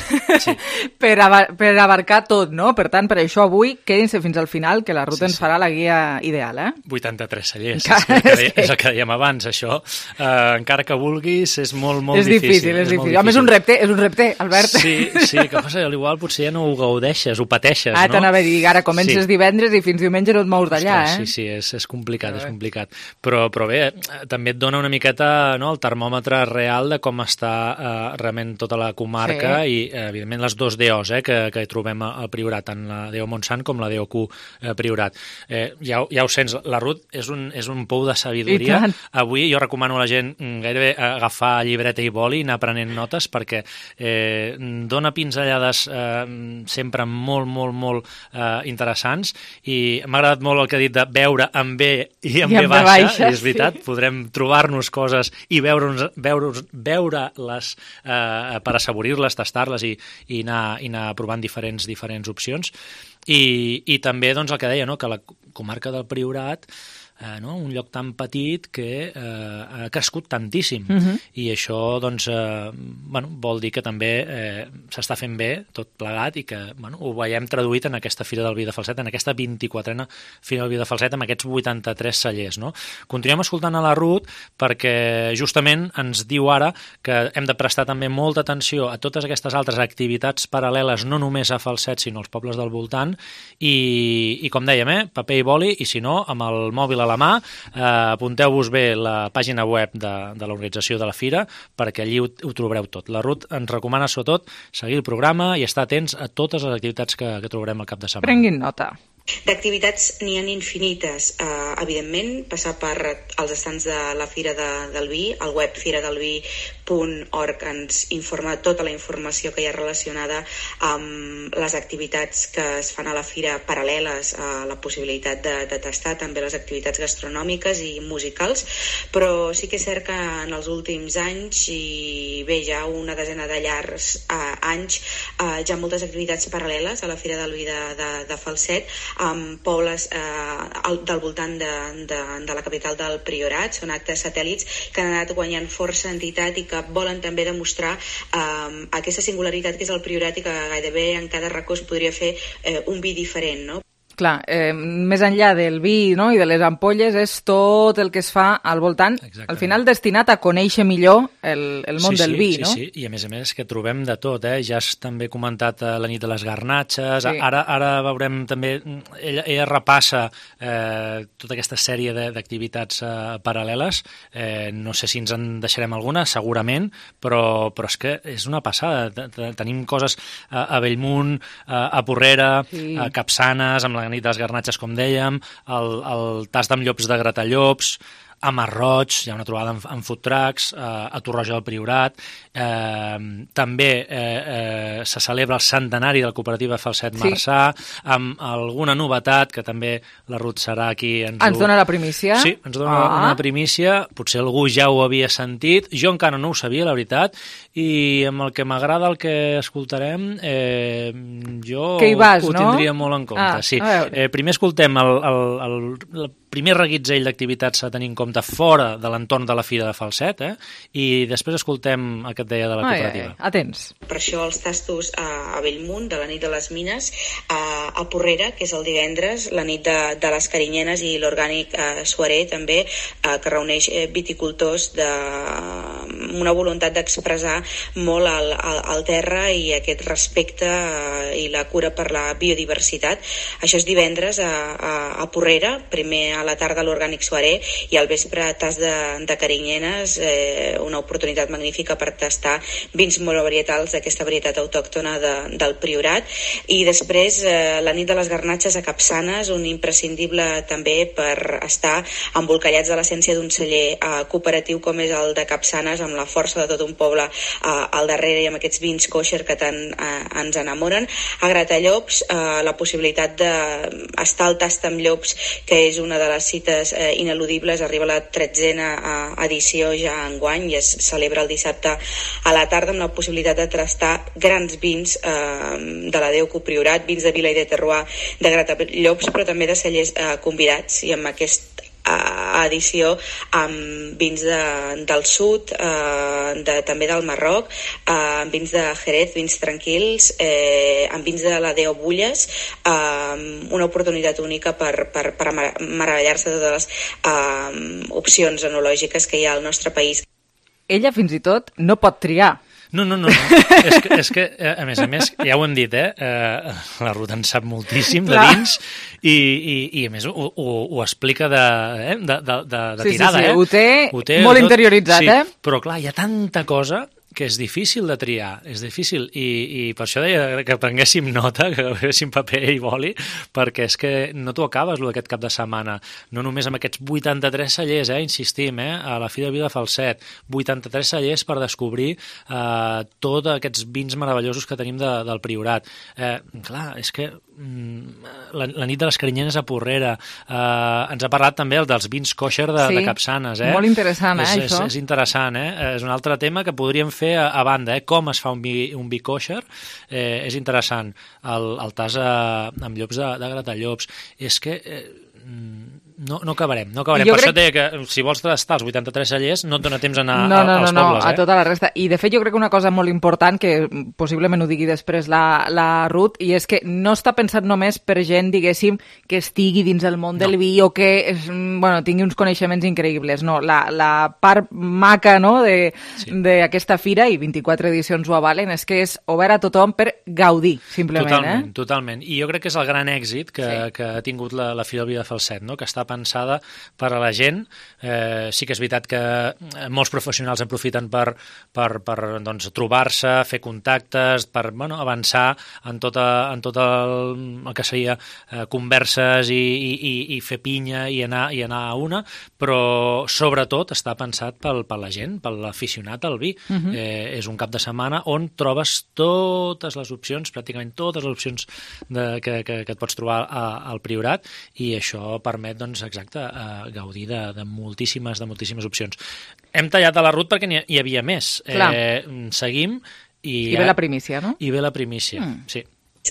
sí. per, abar per abarcar tot, no? Per tant, per això avui quedin-se fins al final, que la Ruth sí, ens farà la guia ideal, eh? vuitanta-tres cellers, és, el que deia, és el que dèiem abans, això. Uh, encara que vulguis, és molt, molt és difícil. difícil. És difícil, és difícil. Home, és un repte, és un repte, Albert. Sí, sí, que passa, igual potser ja no ho gaudeixes, ho pateixes, ah, no? T'anava a dir, ara comences sí. divendres i fins diumenge no et mous d'allà, eh? Sí, sí, és, és complicat, és complicat. Però, però bé, també et dona una miqueta no, el termòmetre real de com està Uh, realment tota la comarca sí. i, uh, evidentment, les dos D Os eh, que, que trobem al Priorat, tant la D O Montsant com la D O Q eh, Priorat. Eh, ja, ja ho sents, la Ruth és un, és un pou de sabidoria. Avui jo recomano a la gent gairebé agafar llibreta i boli i anar prenent notes, perquè eh, dona pinzellades eh, sempre molt, molt, molt eh, interessants, i m'ha agradat molt el que ha dit de veure amb B i amb B baixa, baixa, i és veritat, sí. podrem trobar-nos coses i veure, veure, veure les Eh, per assaborir-les, tastar-les i, i, anar, i anar provant diferents, diferents opcions. I, i també doncs, el que deia, no? Que la comarca del Priorat, eh, no? un lloc tan petit que eh, ha crescut tantíssim. Uh-huh. I això doncs, eh, bueno, vol dir que també eh, s'està fent bé tot plegat, i que bueno, ho veiem traduït en aquesta Fira del Vi de Falset, en aquesta vint-i-quatrena Fira del Vi de Falset, amb aquests vuitanta-tres cellers. No? Continuem escoltant a la Ruth, perquè justament ens diu ara que hem de prestar també molta atenció a totes aquestes altres activitats paral·leles, no només a Falset, sinó als pobles del voltant, i, i com dèiem, eh, paper i boli, i si no, amb el mòbil a la mà, eh, apunteu-vos bé la pàgina web de, de l'organització de la Fira, perquè allí ho, ho trobareu tot. La Ruth ens recomana sobretot seguir el programa i estar atents a totes les activitats que, que trobarem al cap de setmana. Prenguin nota. D'activitats n'hi ha infinites. Uh, evidentment, passar per els estants de la Fira de, del Vi, el web fira del vi punt org ens informa tota la informació que hi ha relacionada amb les activitats que es fan a la fira paral·leles a la possibilitat de, de tastar també les activitats gastronòmiques i musicals, però sí que és cert que en els últims anys, i bé, ja una desena de llargs uh, anys, uh, ja moltes activitats paral·leles a la Fira del Vi de, de, de Falset, amb pobles eh, del voltant de, de, de la capital del Priorat. Són actes satèl·lits que han anat guanyant força entitat i que volen també demostrar eh, aquesta singularitat que és el Priorat i que gairebé en cada racó es podria fer eh, un vi diferent, no? Clar, eh, més enllà del vi, no?, i de les ampolles, és tot el que es fa al voltant, exactament, al final destinat a conèixer millor el, el món sí, del sí, vi, sí, no? Sí, sí, i a més a més que trobem de tot, eh? Ja has també comentat eh, la nit de les garnatxes, sí. ara, ara veurem també, ella, ella repassa eh, tota aquesta sèrie d'activitats eh, paral·leles, eh, no sé si ens en deixarem alguna, segurament, però, però és que és una passada, tenim coses a, a Bellmunt, a, a Porrera, sí. a Capçanes, amb la nit de les garnatxes, com dèiem, el, el tas amb llops de Gratallops, a Masroig, hi ha una trobada amb, amb food trucks, eh, a Torroja del Priorat, eh, també eh, eh, se celebra el centenari de la cooperativa Falset Marçà, sí. amb alguna novetat, que també la Ruth serà aquí. Ens, ens ho... dona la primícia? Sí, ens dona ah. una primícia, potser algú ja ho havia sentit, jo encara no ho sabia, la veritat, i amb el que m'agrada el que escoltarem, eh, jo vas, ho no? tindria molt en compte. Ah, sí. eh, primer escoltem el, el, el, el primer reguitzell d'activitats a tenir en compte fora de l'entorn de la Fira de Falset, eh? I després escoltem el que et deia de la cooperativa. Ai, ai, atents. Per això els tastos a, a Bellmunt, de la nit de les Mines, a, a Porrera, que és el divendres, la nit de, de les Carinyenes, i l'orgànic eh, Suaré, també, eh, que reuneix eh, viticultors de una voluntat d'expressar molt el, el, el terra i aquest respecte eh, i la cura per la biodiversitat. Això és divendres a, a, a Porrera, primer a la tarda l'orgànic Suaré i al vespre tas de, de Carinyenes, eh, una oportunitat magnífica per tastar vins molt varietals d'aquesta varietat autòctona de, del Priorat. I després eh, la nit de les garnatxes a Capçanes, un imprescindible també per estar embolcallats de l'essència d'un celler eh, cooperatiu com és el de Capçanes, amb la força de tot un poble eh, al darrere i amb aquests vins kosher que tant eh, ens enamoren. A Gratallops, eh, la possibilitat d'estar al tast amb llops, que és una de les cites eh, ineludibles, arriba la tretzena eh, edició ja enguany i es celebra el dissabte a la tarda amb la possibilitat de tastar grans vins eh, de la Déu Priorat, vins de Vila i de Terroir, de Gratallops, però també de cellers eh, convidats, i amb aquest edició amb vins de, del sud, eh, de, també del Marroc, eh, amb vins de Jerez, vins tranquils, eh, amb vins de la Déu Bulles, eh, una oportunitat única per, per, per meravellar-se de totes les eh, opcions enològiques que hi ha al nostre país. Ella fins i tot no pot triar. No, no, no, no. és, que, és que, a més a més, ja ho hem dit, eh? eh la Ruth en sap moltíssim de vins i, i, i a més ho, ho, ho explica de, eh? de, de, de, de sí, tirada, sí, sí. eh? Ho té, ho té molt tot, interioritzat, sí, eh? Però clar, hi ha tanta cosa que és difícil de triar, és difícil, i, i per això deia que prenguéssim nota, que agaféssim paper i boli, perquè és que no t'ho acabes, lo d'aquest cap de setmana, no només amb aquests vuitanta-tres cellers, eh, insistim, eh, a la Fira del Vi de Falset, vuitanta-tres cellers per descobrir eh, tots aquests vins meravellosos que tenim de, del Priorat. Eh, clar, és que mm, la, la nit de les Carinyenes a Porrera, eh, ens ha parlat també dels vins kosher de, sí, de Capçanes, eh? Molt interessant, eh, és, això. És, és interessant, eh? És un altre tema que podríem fer a, a banda, eh? Com es fa un vi, un vi kosher, eh, és interessant. El, el tas a, amb llops de, de Gratallops. És que eh, no, no acabarem, no acabarem. Per crec... això deia que si vols tastar els vuitanta-tres cellers no et dona temps a anar no, no, als no, pobles. No, eh? a tota la resta. I de fet jo crec que una cosa molt important, que possiblement ho digui després la, la Ruth, i és que no està pensat només per gent, diguéssim, que estigui dins el món no. del vi o que és, bueno, tingui uns coneixements increïbles. No, la, la part maca, no, d'aquesta sí. fira, i vint-i-quatre edicions ho avalen, és que és obert a tothom per gaudir, simplement. Totalment, eh? totalment. I jo crec que és el gran èxit que, sí. que ha tingut la, la Fira del Vi de Falset, no? Que està està pensada per a la gent. Eh, sí que és veritat que molts professionals aprofiten per, per, per doncs, trobar-se, fer contactes, per bueno, avançar en tot, a, en tot el, el que seria eh, converses i, i, i fer pinya i anar, i anar a una, però sobretot està pensat pel, per la gent, per l'aficionat al vi. Uh-huh. eh, és un cap de setmana on trobes totes les opcions, pràcticament totes les opcions de, que, que, que et pots trobar a, al Priorat, i això permet, doncs, exacte, eh, gaudir de, de moltíssimes, de moltíssimes opcions. Hem tallat a la Ruth perquè hi havia més. Eh, seguim i... I ve la primícia, no? I ve la primícia, mm. sí.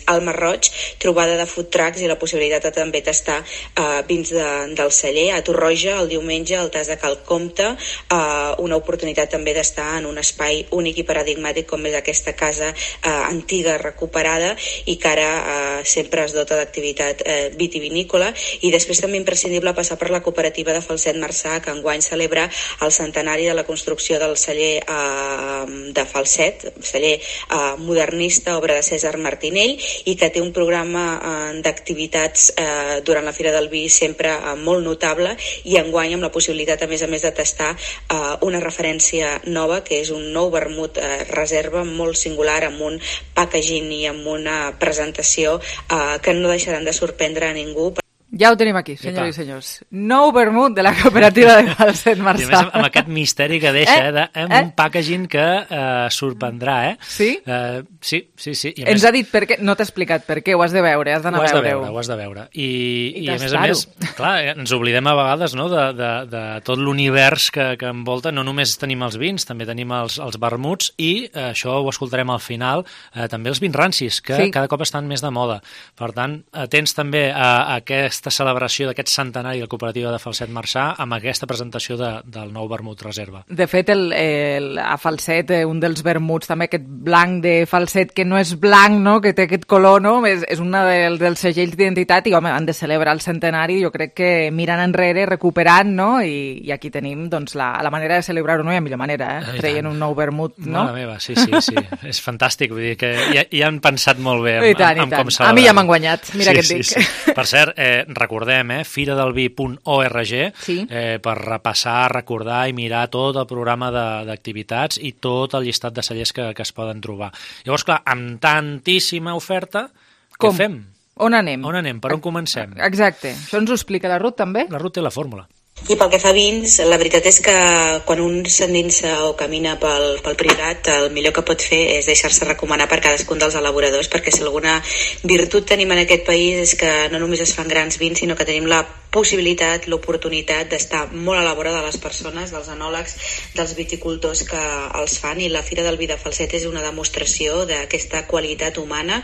Al Marroig, trobada de food trucks i la possibilitat de també tastar uh, vins de, del celler. A Torroja, el diumenge, el tas de Cal Comte, uh, una oportunitat també d'estar en un espai únic i paradigmàtic com és aquesta casa uh, antiga recuperada i que ara uh, sempre es dota d'activitat uh, vitivinícola. I després també imprescindible passar per la cooperativa de Falset Marçà, que enguany celebra el centenari de la construcció del celler uh, de Falset, celler uh, modernista, obra de César Martinell, i que té un programa eh, d'activitats eh, durant la Fira del Vi sempre eh, molt notable, i enguany amb la possibilitat a més a més de tastar eh, una referència nova que és un nou vermut eh, reserva molt singular amb un packaging i amb una presentació eh, que no deixaran de sorprendre a ningú. Ja ho tenim aquí, senyors i senyors. Nou vermut de la cooperativa de Falset Marçà. I a més, amb aquest misteri que deixa, eh, de, amb eh? un packaging que eh, sorprendrà, eh? Sí? Eh, sí, sí, sí. I Ens més... ha dit per què, no t'ha explicat per què, ho has de veure, has d'anar a veure-ho. Ho has de veure, ho has de veure. I, I, i a més a més, clar, ens oblidem a vegades, no?, de, de, de tot l'univers que, que envolta. No només tenim els vins, també tenim els, els vermuts, i eh, això ho escoltarem al final, eh, també els vins rancis, que sí. cada cop estan més de moda. Per tant, atents també a, a aquesta celebració d'aquest centenari de la cooperativa de Falset Marçà amb aquesta presentació de, del nou vermut reserva. De fet, el, el, a Falset, un dels vermuts, també aquest blanc de Falset, que no és blanc, no?, que té aquest color, no?, és, és un del, dels segells d'identitat, i home, han de celebrar el centenari, jo crec que miren enrere, recuperant, no?, i, i aquí tenim doncs, la, la manera de celebrar-ho, no hi ha millor manera, eh? Treien un nou vermut, no? Mare meva, sí, sí, sí, és fantàstic, vull dir que ja, ja han pensat molt bé amb, I tant, amb, amb i tant. com celebrar. A mi ja m'han guanyat, mira sí, què et dic. Sí, sí. Per cert, eh, recordem Eh, fira del vi punt org sí. eh, per repassar, recordar i mirar tot el programa d'activitats i tot el llistat de cellers que, que es poden trobar. Llavors, clar, amb tantíssima oferta, Com? què fem? On anem? On anem? Per on comencem? Exacte. Això ens ho explica la Ruth, també? La Ruth té la fórmula. I pel que fa a vins, la veritat és que quan un s'endinsa o camina pel, pel Priorat, el millor que pot fer és deixar-se recomanar per cadascun dels elaboradors, perquè si alguna virtut tenim en aquest país és que no només es fan grans vins, sinó que tenim la possibilitat, l'oportunitat d'estar molt a la vora de les persones, dels enòlegs, dels viticultors que els fan, i la Fira del Vi de Falset és una demostració d'aquesta qualitat humana,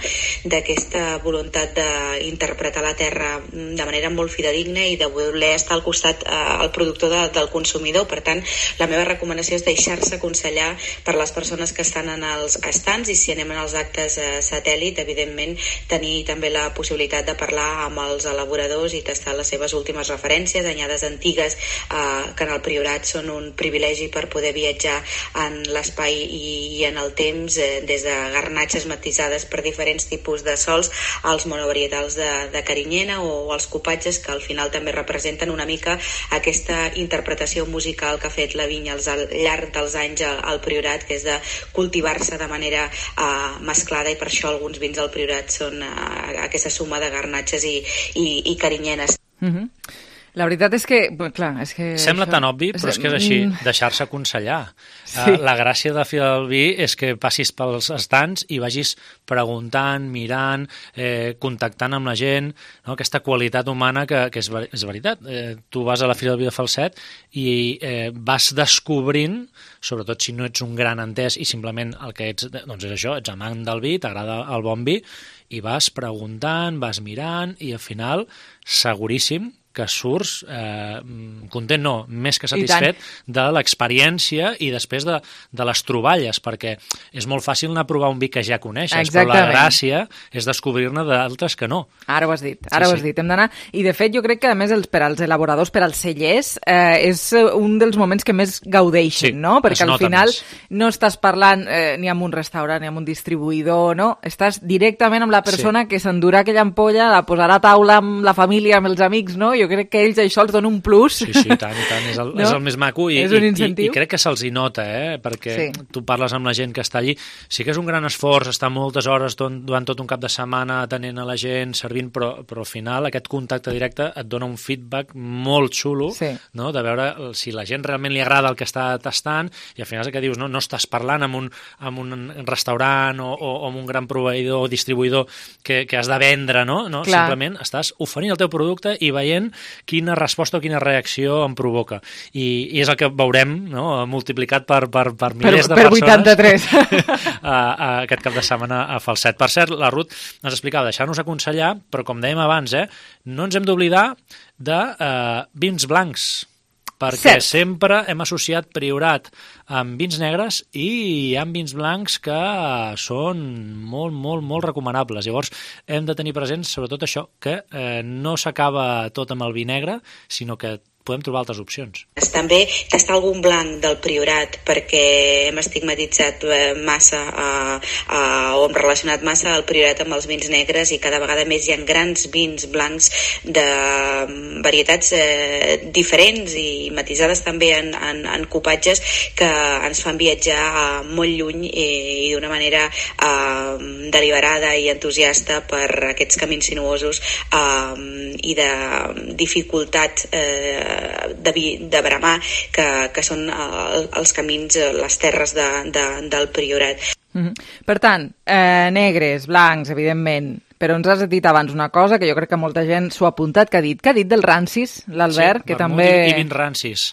d'aquesta voluntat d'interpretar la terra de manera molt fidedigna i de voler estar al costat eh, el productor de, del consumidor. Per tant, la meva recomanació és deixar-se aconsellar per les persones que estan en els estants, i si anem en els actes eh, satèl·lit, evidentment tenir també la possibilitat de parlar amb els elaboradors i tastar les seves últimes referències, anyades antigues eh, que en el Priorat són un privilegi per poder viatjar en l'espai i, i en el temps, eh, des de garnatxes matisades per diferents tipus de sols als monovarietals de, de carinyena o, o els copatges, que al final també representen una mica aquesta interpretació musical que ha fet la vinya al llarg dels anys al Priorat, que és de cultivar-se de manera uh, mesclada, i per això alguns vins del Priorat són uh, aquesta suma de garnatxes i, i, i carinyenes. Mm-hmm. La veritat és que, clar, és que... Sembla això... tan obvi, però és que és així, deixar-se aconsellar. Sí. Uh, la gràcia de Fira del Vi és que passis pels estants i vagis preguntant, mirant, eh, contactant amb la gent, no? Aquesta qualitat humana que, que és, ver és veritat. Eh, tu vas a la Fira del Vi de Falset i eh, vas descobrint, sobretot si no ets un gran entès i simplement el que ets, doncs és això, ets amant del vi, t'agrada el bon vi, i vas preguntant, vas mirant, i al final, seguríssim, que surts eh, content, no, més que satisfet de l'experiència i després de, de les troballes, perquè és molt fàcil anar a provar un vi que ja coneixes, Exactament. Però la gràcia és descobrir-ne d'altres que no. Ara ho has dit, ara sí, ho has sí. dit, hem d'anar, i de fet jo crec que a més els, per als elaboradors, per als cellers, eh, és un dels moments que més gaudeixen, sí, no? Perquè al final més. no estàs parlant eh, ni amb un restaurant, ni amb un distribuïdor, no? Estàs directament amb la persona sí. que s'endurà aquella ampolla, la posarà a taula amb la família, amb els amics, no? jo crec que ells això els dona un plus. Sí, sí, tant, tant. És el, no? és el més maco i, és un i, i, incentiu. i crec que se'ls hi nota, eh? Perquè sí. tu parles amb la gent que està allí. Sí que és un gran esforç estar moltes hores durant tot un cap de setmana atenent a la gent, servint, però, però al final aquest contacte directe et dona un feedback molt xulo, sí. no? De veure si la gent realment li agrada el que està tastant, i al final és el que dius, no, no estàs parlant amb un, amb un restaurant o, o amb un gran proveïdor o distribuïdor que, que has de vendre, no? no? Simplement estàs oferint el teu producte i veient quina resposta o quina reacció em provoca. I, i és el que veurem, no? Multiplicat per, per, per milers per, de per persones vuitanta-tres. a, a aquest cap de setmana a Falset. Per cert, la Ruth ens explicava, deixar-nos aconsellar, però com dèiem abans, eh, no ens hem d'oblidar de eh, vins blancs, perquè Cert. sempre hem associat Priorat amb vins negres i hi ha vins blancs que són molt, molt, molt recomanables. Llavors hem de tenir present sobretot això, que eh, no s'acaba tot amb el vi negre, sinó que podem trobar altres opcions. També tastar algun blanc del Priorat, perquè hem estigmatitzat massa uh, uh, o hem relacionat massa el Priorat amb els vins negres, i cada vegada més hi ha grans vins blancs de varietats eh, diferents i matisades també en, en, en copatges que ens fan viatjar uh, molt lluny i, i d'una manera uh, deliberada i entusiasta per aquests camins sinuosos uh, i de dificultat eh, de, de bramar que, que són uh, els camins, les terres de, de, del Priorat. Mm-hmm. Per tant, eh, negres, blancs, evidentment, però ens has dit abans una cosa que jo crec que molta gent s'ho ha apuntat, que ha dit, que ha dit del rancis, l'Albert, sí, que també... i vins rancis.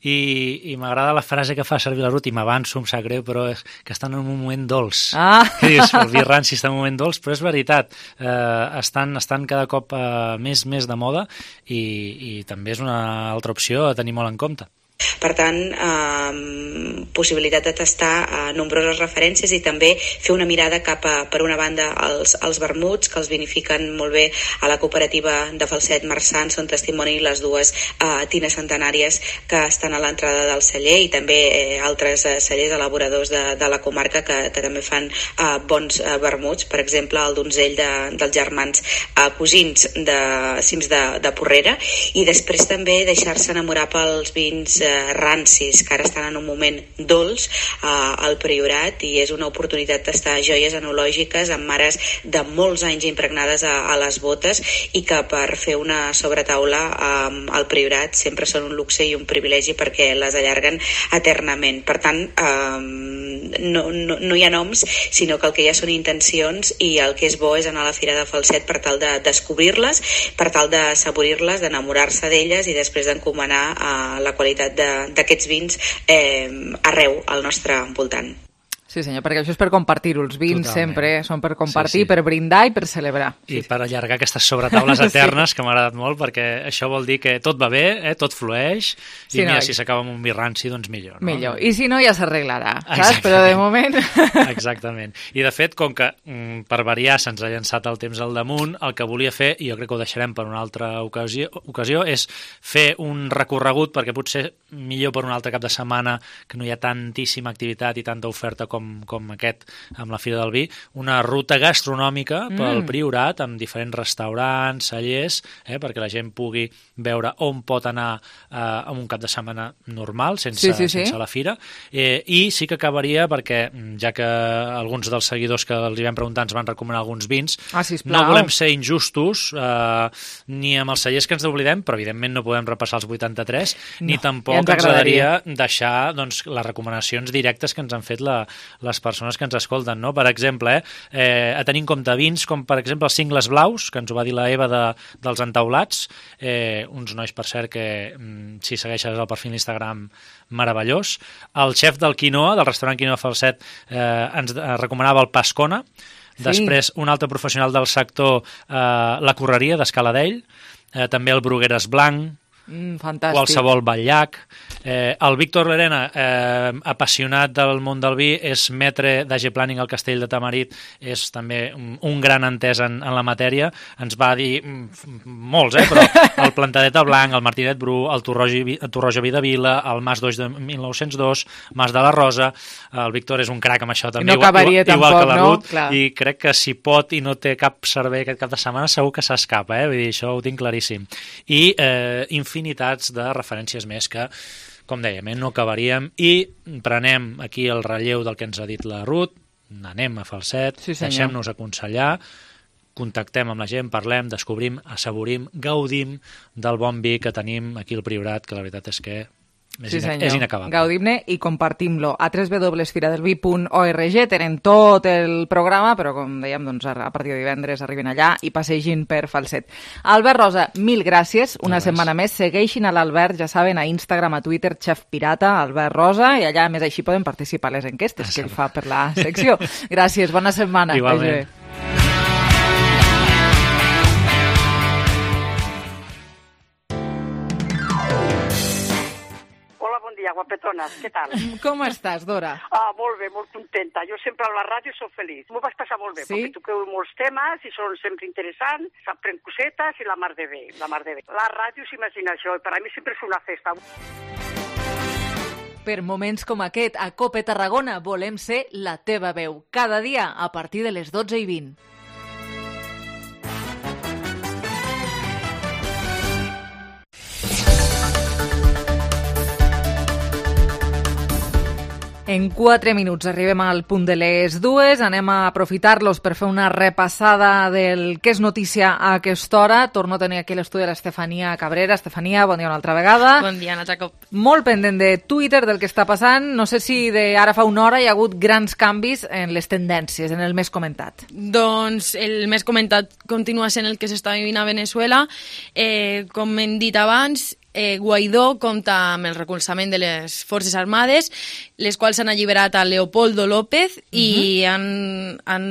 I, i m'agrada la frase que fa servir la Ruth, i m'avanço, em sap greu, però és que estan en un moment dolç. Ah. Que dius, el vi ranci està en un moment dolç, però és veritat, eh, estan, estan cada cop eh, més, més de moda, i, i també és una altra opció a tenir molt en compte. Per tant, eh, possibilitat de tastar eh, nombroses referències i també fer una mirada cap a, per una banda, als, als vermuts, que els vinifiquen molt bé a la cooperativa de Falset Marçant, són testimoni les dues eh, tines centenàries que estan a l'entrada del celler, i també eh, altres eh, cellers elaboradors de, de la comarca que, que també fan eh, bons eh, vermuts, per exemple el donzell de, dels germans eh, cosins de Cims de, de Porrera, i després també deixar-se enamorar pels vins rancis, que ara estan en un moment dolç eh, al Priorat, i és una oportunitat d'estar joies enològiques amb mares de molts anys impregnades a, a les botes, i que per fer una sobretaula eh, al Priorat sempre són un luxe i un privilegi perquè les allarguen eternament. Per tant, eh, no, no, no hi ha noms, sinó que el que hi ha són intencions, i el que és bo és anar a la Fira de Falset per tal de descobrir-les, per tal de saborir-les, d'enamorar-se d'elles, i després d'encomanar eh, la qualitat d'aquests vins eh, arreu al nostre voltant. Sí, senyor, perquè això és per compartir-ho. Els vins Totalment. sempre són per compartir, sí, sí. per brindar i per celebrar. I sí. per allargar aquestes sobretaules eternes, sí. que m'ha agradat molt, perquè això vol dir que tot va bé, eh? Tot flueix, sí, i mira, no, si s'acaba amb un vi ranci, doncs millor. No? Millor. I si no, ja s'arreglarà, saps? Però de moment... Exactament. I de fet, com que per variar se'ns ha llançat el temps al damunt, el que volia fer, i jo crec que ho deixarem per una altra ocasió, ocasió és fer un recorregut, perquè potser millor per un altre cap de setmana, que no hi ha tantíssima activitat i tanta oferta com Com, com aquest amb la Fira del Vi, una ruta gastronòmica mm. pel Priorat amb diferents restaurants, cellers, eh, perquè la gent pugui veure on pot anar eh, en un cap de setmana normal, sense, sí, sí, sí. sense la Fira. Eh, I sí que acabaria, perquè ja que alguns dels seguidors que els hi vam preguntar ens van recomanar alguns vins, ah, no volem ser injustos eh, ni amb els cellers que ens n'oblidem, però evidentment no podem repassar els vuitanta-tres, no, ni tampoc ja ens, ens agradaria deixar doncs, les recomanacions directes que ens han fet la les persones que ens escolten, no? Per exemple, eh, eh, a tenir en compte vins com, per exemple, els cingles blaus, que ens ho va dir la Eva de, dels entaulats, eh, uns nois, per cert, que mm, si segueixes el perfil d'Instagram, meravellós. El xef del Quinoa, del restaurant Quinoa Falset, eh, ens eh, recomanava el Pascona. Sí. Després, un altre professional del sector, eh, la Correria, d'Escaladell, eh, també el Brugueres Blanc, Mm, fantàstic. Qualsevol batllac. Eh, el Víctor Lerena, eh, apassionat del món del vi, és metre d'A G Planning al Castell de Tamarit, és també un, un gran entès en, en la matèria. Ens va dir mm, molts, eh, però el Plantadeta Blanc, el Martinet Bru, el Torroja Vidavila, el Mas d'Oix de mil nou-cents dos, Mas de la Rosa. El Víctor és un crac amb això també, no igual, igual, tampoc, igual que la Ruth, no? i crec que si pot i no té cap servei aquest cap de setmana, segur que s'escapa, eh? Vull dir, això ho tinc claríssim. I eh, infinitats de referències més que, com dèiem, eh, no acabaríem, i prenem aquí el relleu del que ens ha dit la Ruth, anem a Falset, sí, deixem-nos aconsellar, contactem amb la gent, parlem, descobrim, assaborim, gaudim del bon vi que tenim aquí al Priorat, que la veritat és que és, sí, ina és inacabable. Gaudim-ne i compartim-lo. A w w w punt fira del vi punt org tenen tot el programa, però com dèiem, doncs, a partir de divendres arriben allà i passegin per Falset. Albert Rosa, mil gràcies. Una no setmana més. Segueixin a l'Albert, ja saben, a Instagram, a Twitter, Chef Pirata, Albert Rosa, i allà, a més, així poden participar a les enquestes que ell fa per la secció. Gràcies, bona setmana. Igualment. Guapetones, què tal? Com estàs, Dora? Ah, molt bé, molt contenta. Jo sempre a la ràdio soc feliç. M'ho vaig passar molt bé, sí? Perquè toqueu molts temes i són sempre interessants, s'aprèn cosetes i la mar de bé, la mar de bé. La ràdio s'imagina això i per a mi sempre és una festa. Per moments com aquest, a Cope Tarragona volem ser la teva veu. Cada dia a partir de les dotze i vint. En quatre minuts arribem al punt de les dues. Anem a aprofitar-los per fer una repassada del que és notícia a aquesta hora. Torno a tenir aquí l'estudi de l'Estefania Cabrera. Estefania, bon dia una altra vegada. Bon dia, Anna Jacob. Molt pendent de Twitter, del que està passant. No sé si de ara fa una hora hi ha hagut grans canvis en les tendències, en el més comentat. Doncs el més comentat continua sent el que s'està vivint a Venezuela. Eh, com hem dit abans, Eh, Guaidó compta amb el recolzament de les Forces Armades, les quals han alliberat a Leopoldo López i uh-huh. han, han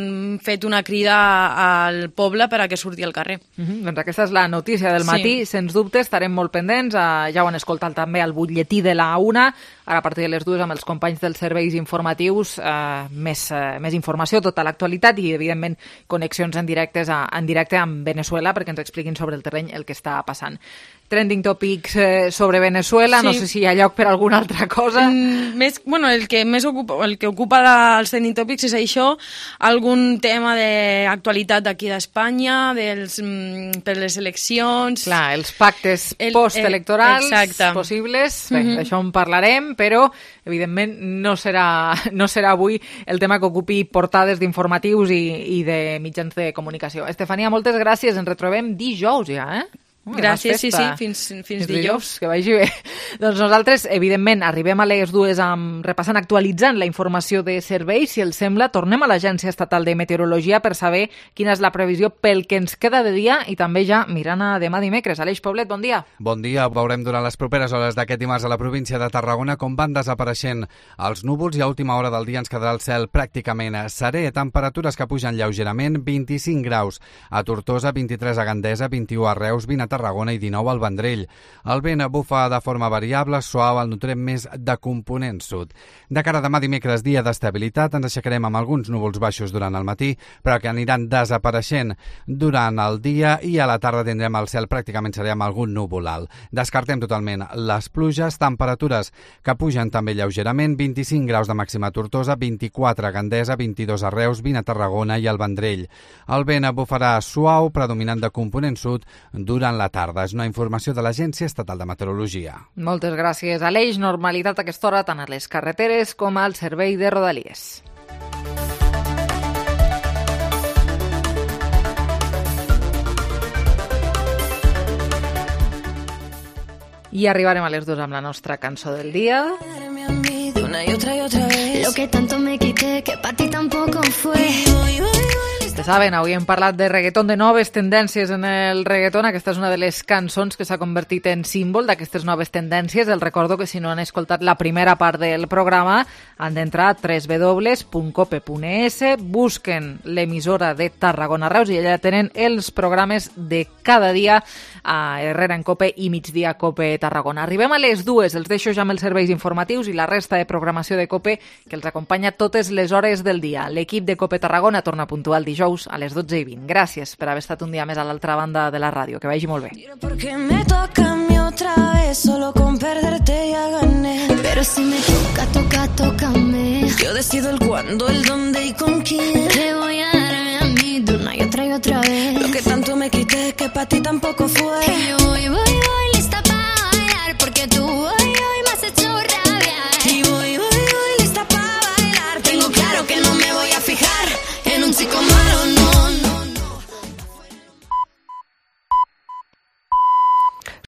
fet una crida al poble per a que surti al carrer. Uh-huh. Doncs aquesta és la notícia del matí, sí. Sens dubte, estarem molt pendents, uh, ja ho han escoltat també al butlletí de la una, ara a partir de les dues amb els companys dels serveis informatius, uh, més, uh, més informació, tota l'actualitat i, evidentment, connexions en, directes a, en directe amb Venezuela perquè ens expliquin sobre el terreny el que està passant. Trending topics eh, sobre Venezuela, sí. No sé si hi ha lloc per alguna altra cosa. Mm, més, bueno, el que més ocupa, el que ocupa els trending topics és això, algun tema d'actualitat d'aquí d'Espanya, dels, mm, per les eleccions... Clar, els pactes el, postelectorals el, possibles, bé, uh-huh. D'això en parlarem, però evidentment no serà, no serà avui el tema que ocupi portades d'informatius i, i de mitjans de comunicació. Estefania, moltes gràcies, ens retrobem dijous ja, eh? Uh, Gràcies, sí, sí, fins, fins, fins dijous. Que vagi bé. Doncs nosaltres, evidentment, arribem a les dues amb, repassant, actualitzant la informació de serveis. Si els sembla, tornem a l'Agència Estatal de Meteorologia per saber quina és la previsió pel que ens queda de dia i també ja mirant a demà dimecres. Aleix Poblet, bon dia. Bon dia. Veurem durant les properes hores d'aquest dimarts a la província de Tarragona com van desapareixent els núvols i a última hora del dia ens quedarà el cel pràcticament serè. Temperatures que pugen lleugerament, vint-i-cinc graus a Tortosa, vint-i-tres a Gandesa, vint-i-u a Reus, vint a Tarragona i dinou al Vendrell. El vent bufa de forma variable, suau, el notarem més de component sud. De cara a demà dimecres, dia d'estabilitat, ens aixecarem amb alguns núvols baixos durant el matí, però que aniran desapareixent durant el dia i a la tarda tindrem el cel pràcticament serè amb algun núvol alt. Descartem totalment les pluges, temperatures que pugen també lleugerament, vint-i-cinc graus de màxima a Tortosa, vint-i-quatre a Gandesa, vint-i-dos a Reus, vint a Tarragona i al Vendrell. El vent bufarà suau, predominant de component sud durant la la tarda. És una informació de l'Agència Estatal de Meteorologia. Moltes gràcies, Aleix. Normalitat a aquesta hora tant a les carreteres com al servei de Rodalies. I arribarem a les dues amb la nostra cançó del dia. Una y otra y otra vez. Lo que tanto me quité, que para ti tampoco fue. Se saben, avui hem parlat de reggaeton, de noves tendències en el reggaeton. Aquesta és una de les cançons que s'ha convertit en símbol d'aquestes noves tendències. Els recordo que si no han escoltat la primera part del programa han d'entrar a w w w punt cope punt e s, busquen l'emissora de Tarragona Reus i allà tenen els programes de cada dia a Herrera en Cope i Migdia Cope Tarragona. Arribem a les dues, els deixo ja amb els serveis informatius i la resta de programació de Cope que els acompanya totes les hores del dia. L'equip de Cope Tarragona torna puntual dijous a les dotze i vint. Gràcies per haver estat un dia més a l'altra banda de la ràdio. Que vagi molt bé. Porque me toca a mí otra vez, solo con perderte ya gané. Pero si me toca, toca, tócame. Yo decido el cuándo, el dónde y con quién. Te voy a darme a mí de una y otra y otra vez. Lo que tanto me quité que para ti tampoco fue. Y yo voy, voy, voy, lista para bailar, porque tú hoy, hoy me has hecho rabiar. Y voy, voy, voy, lista para bailar. Tengo claro que no me voy a fijar en un chico más.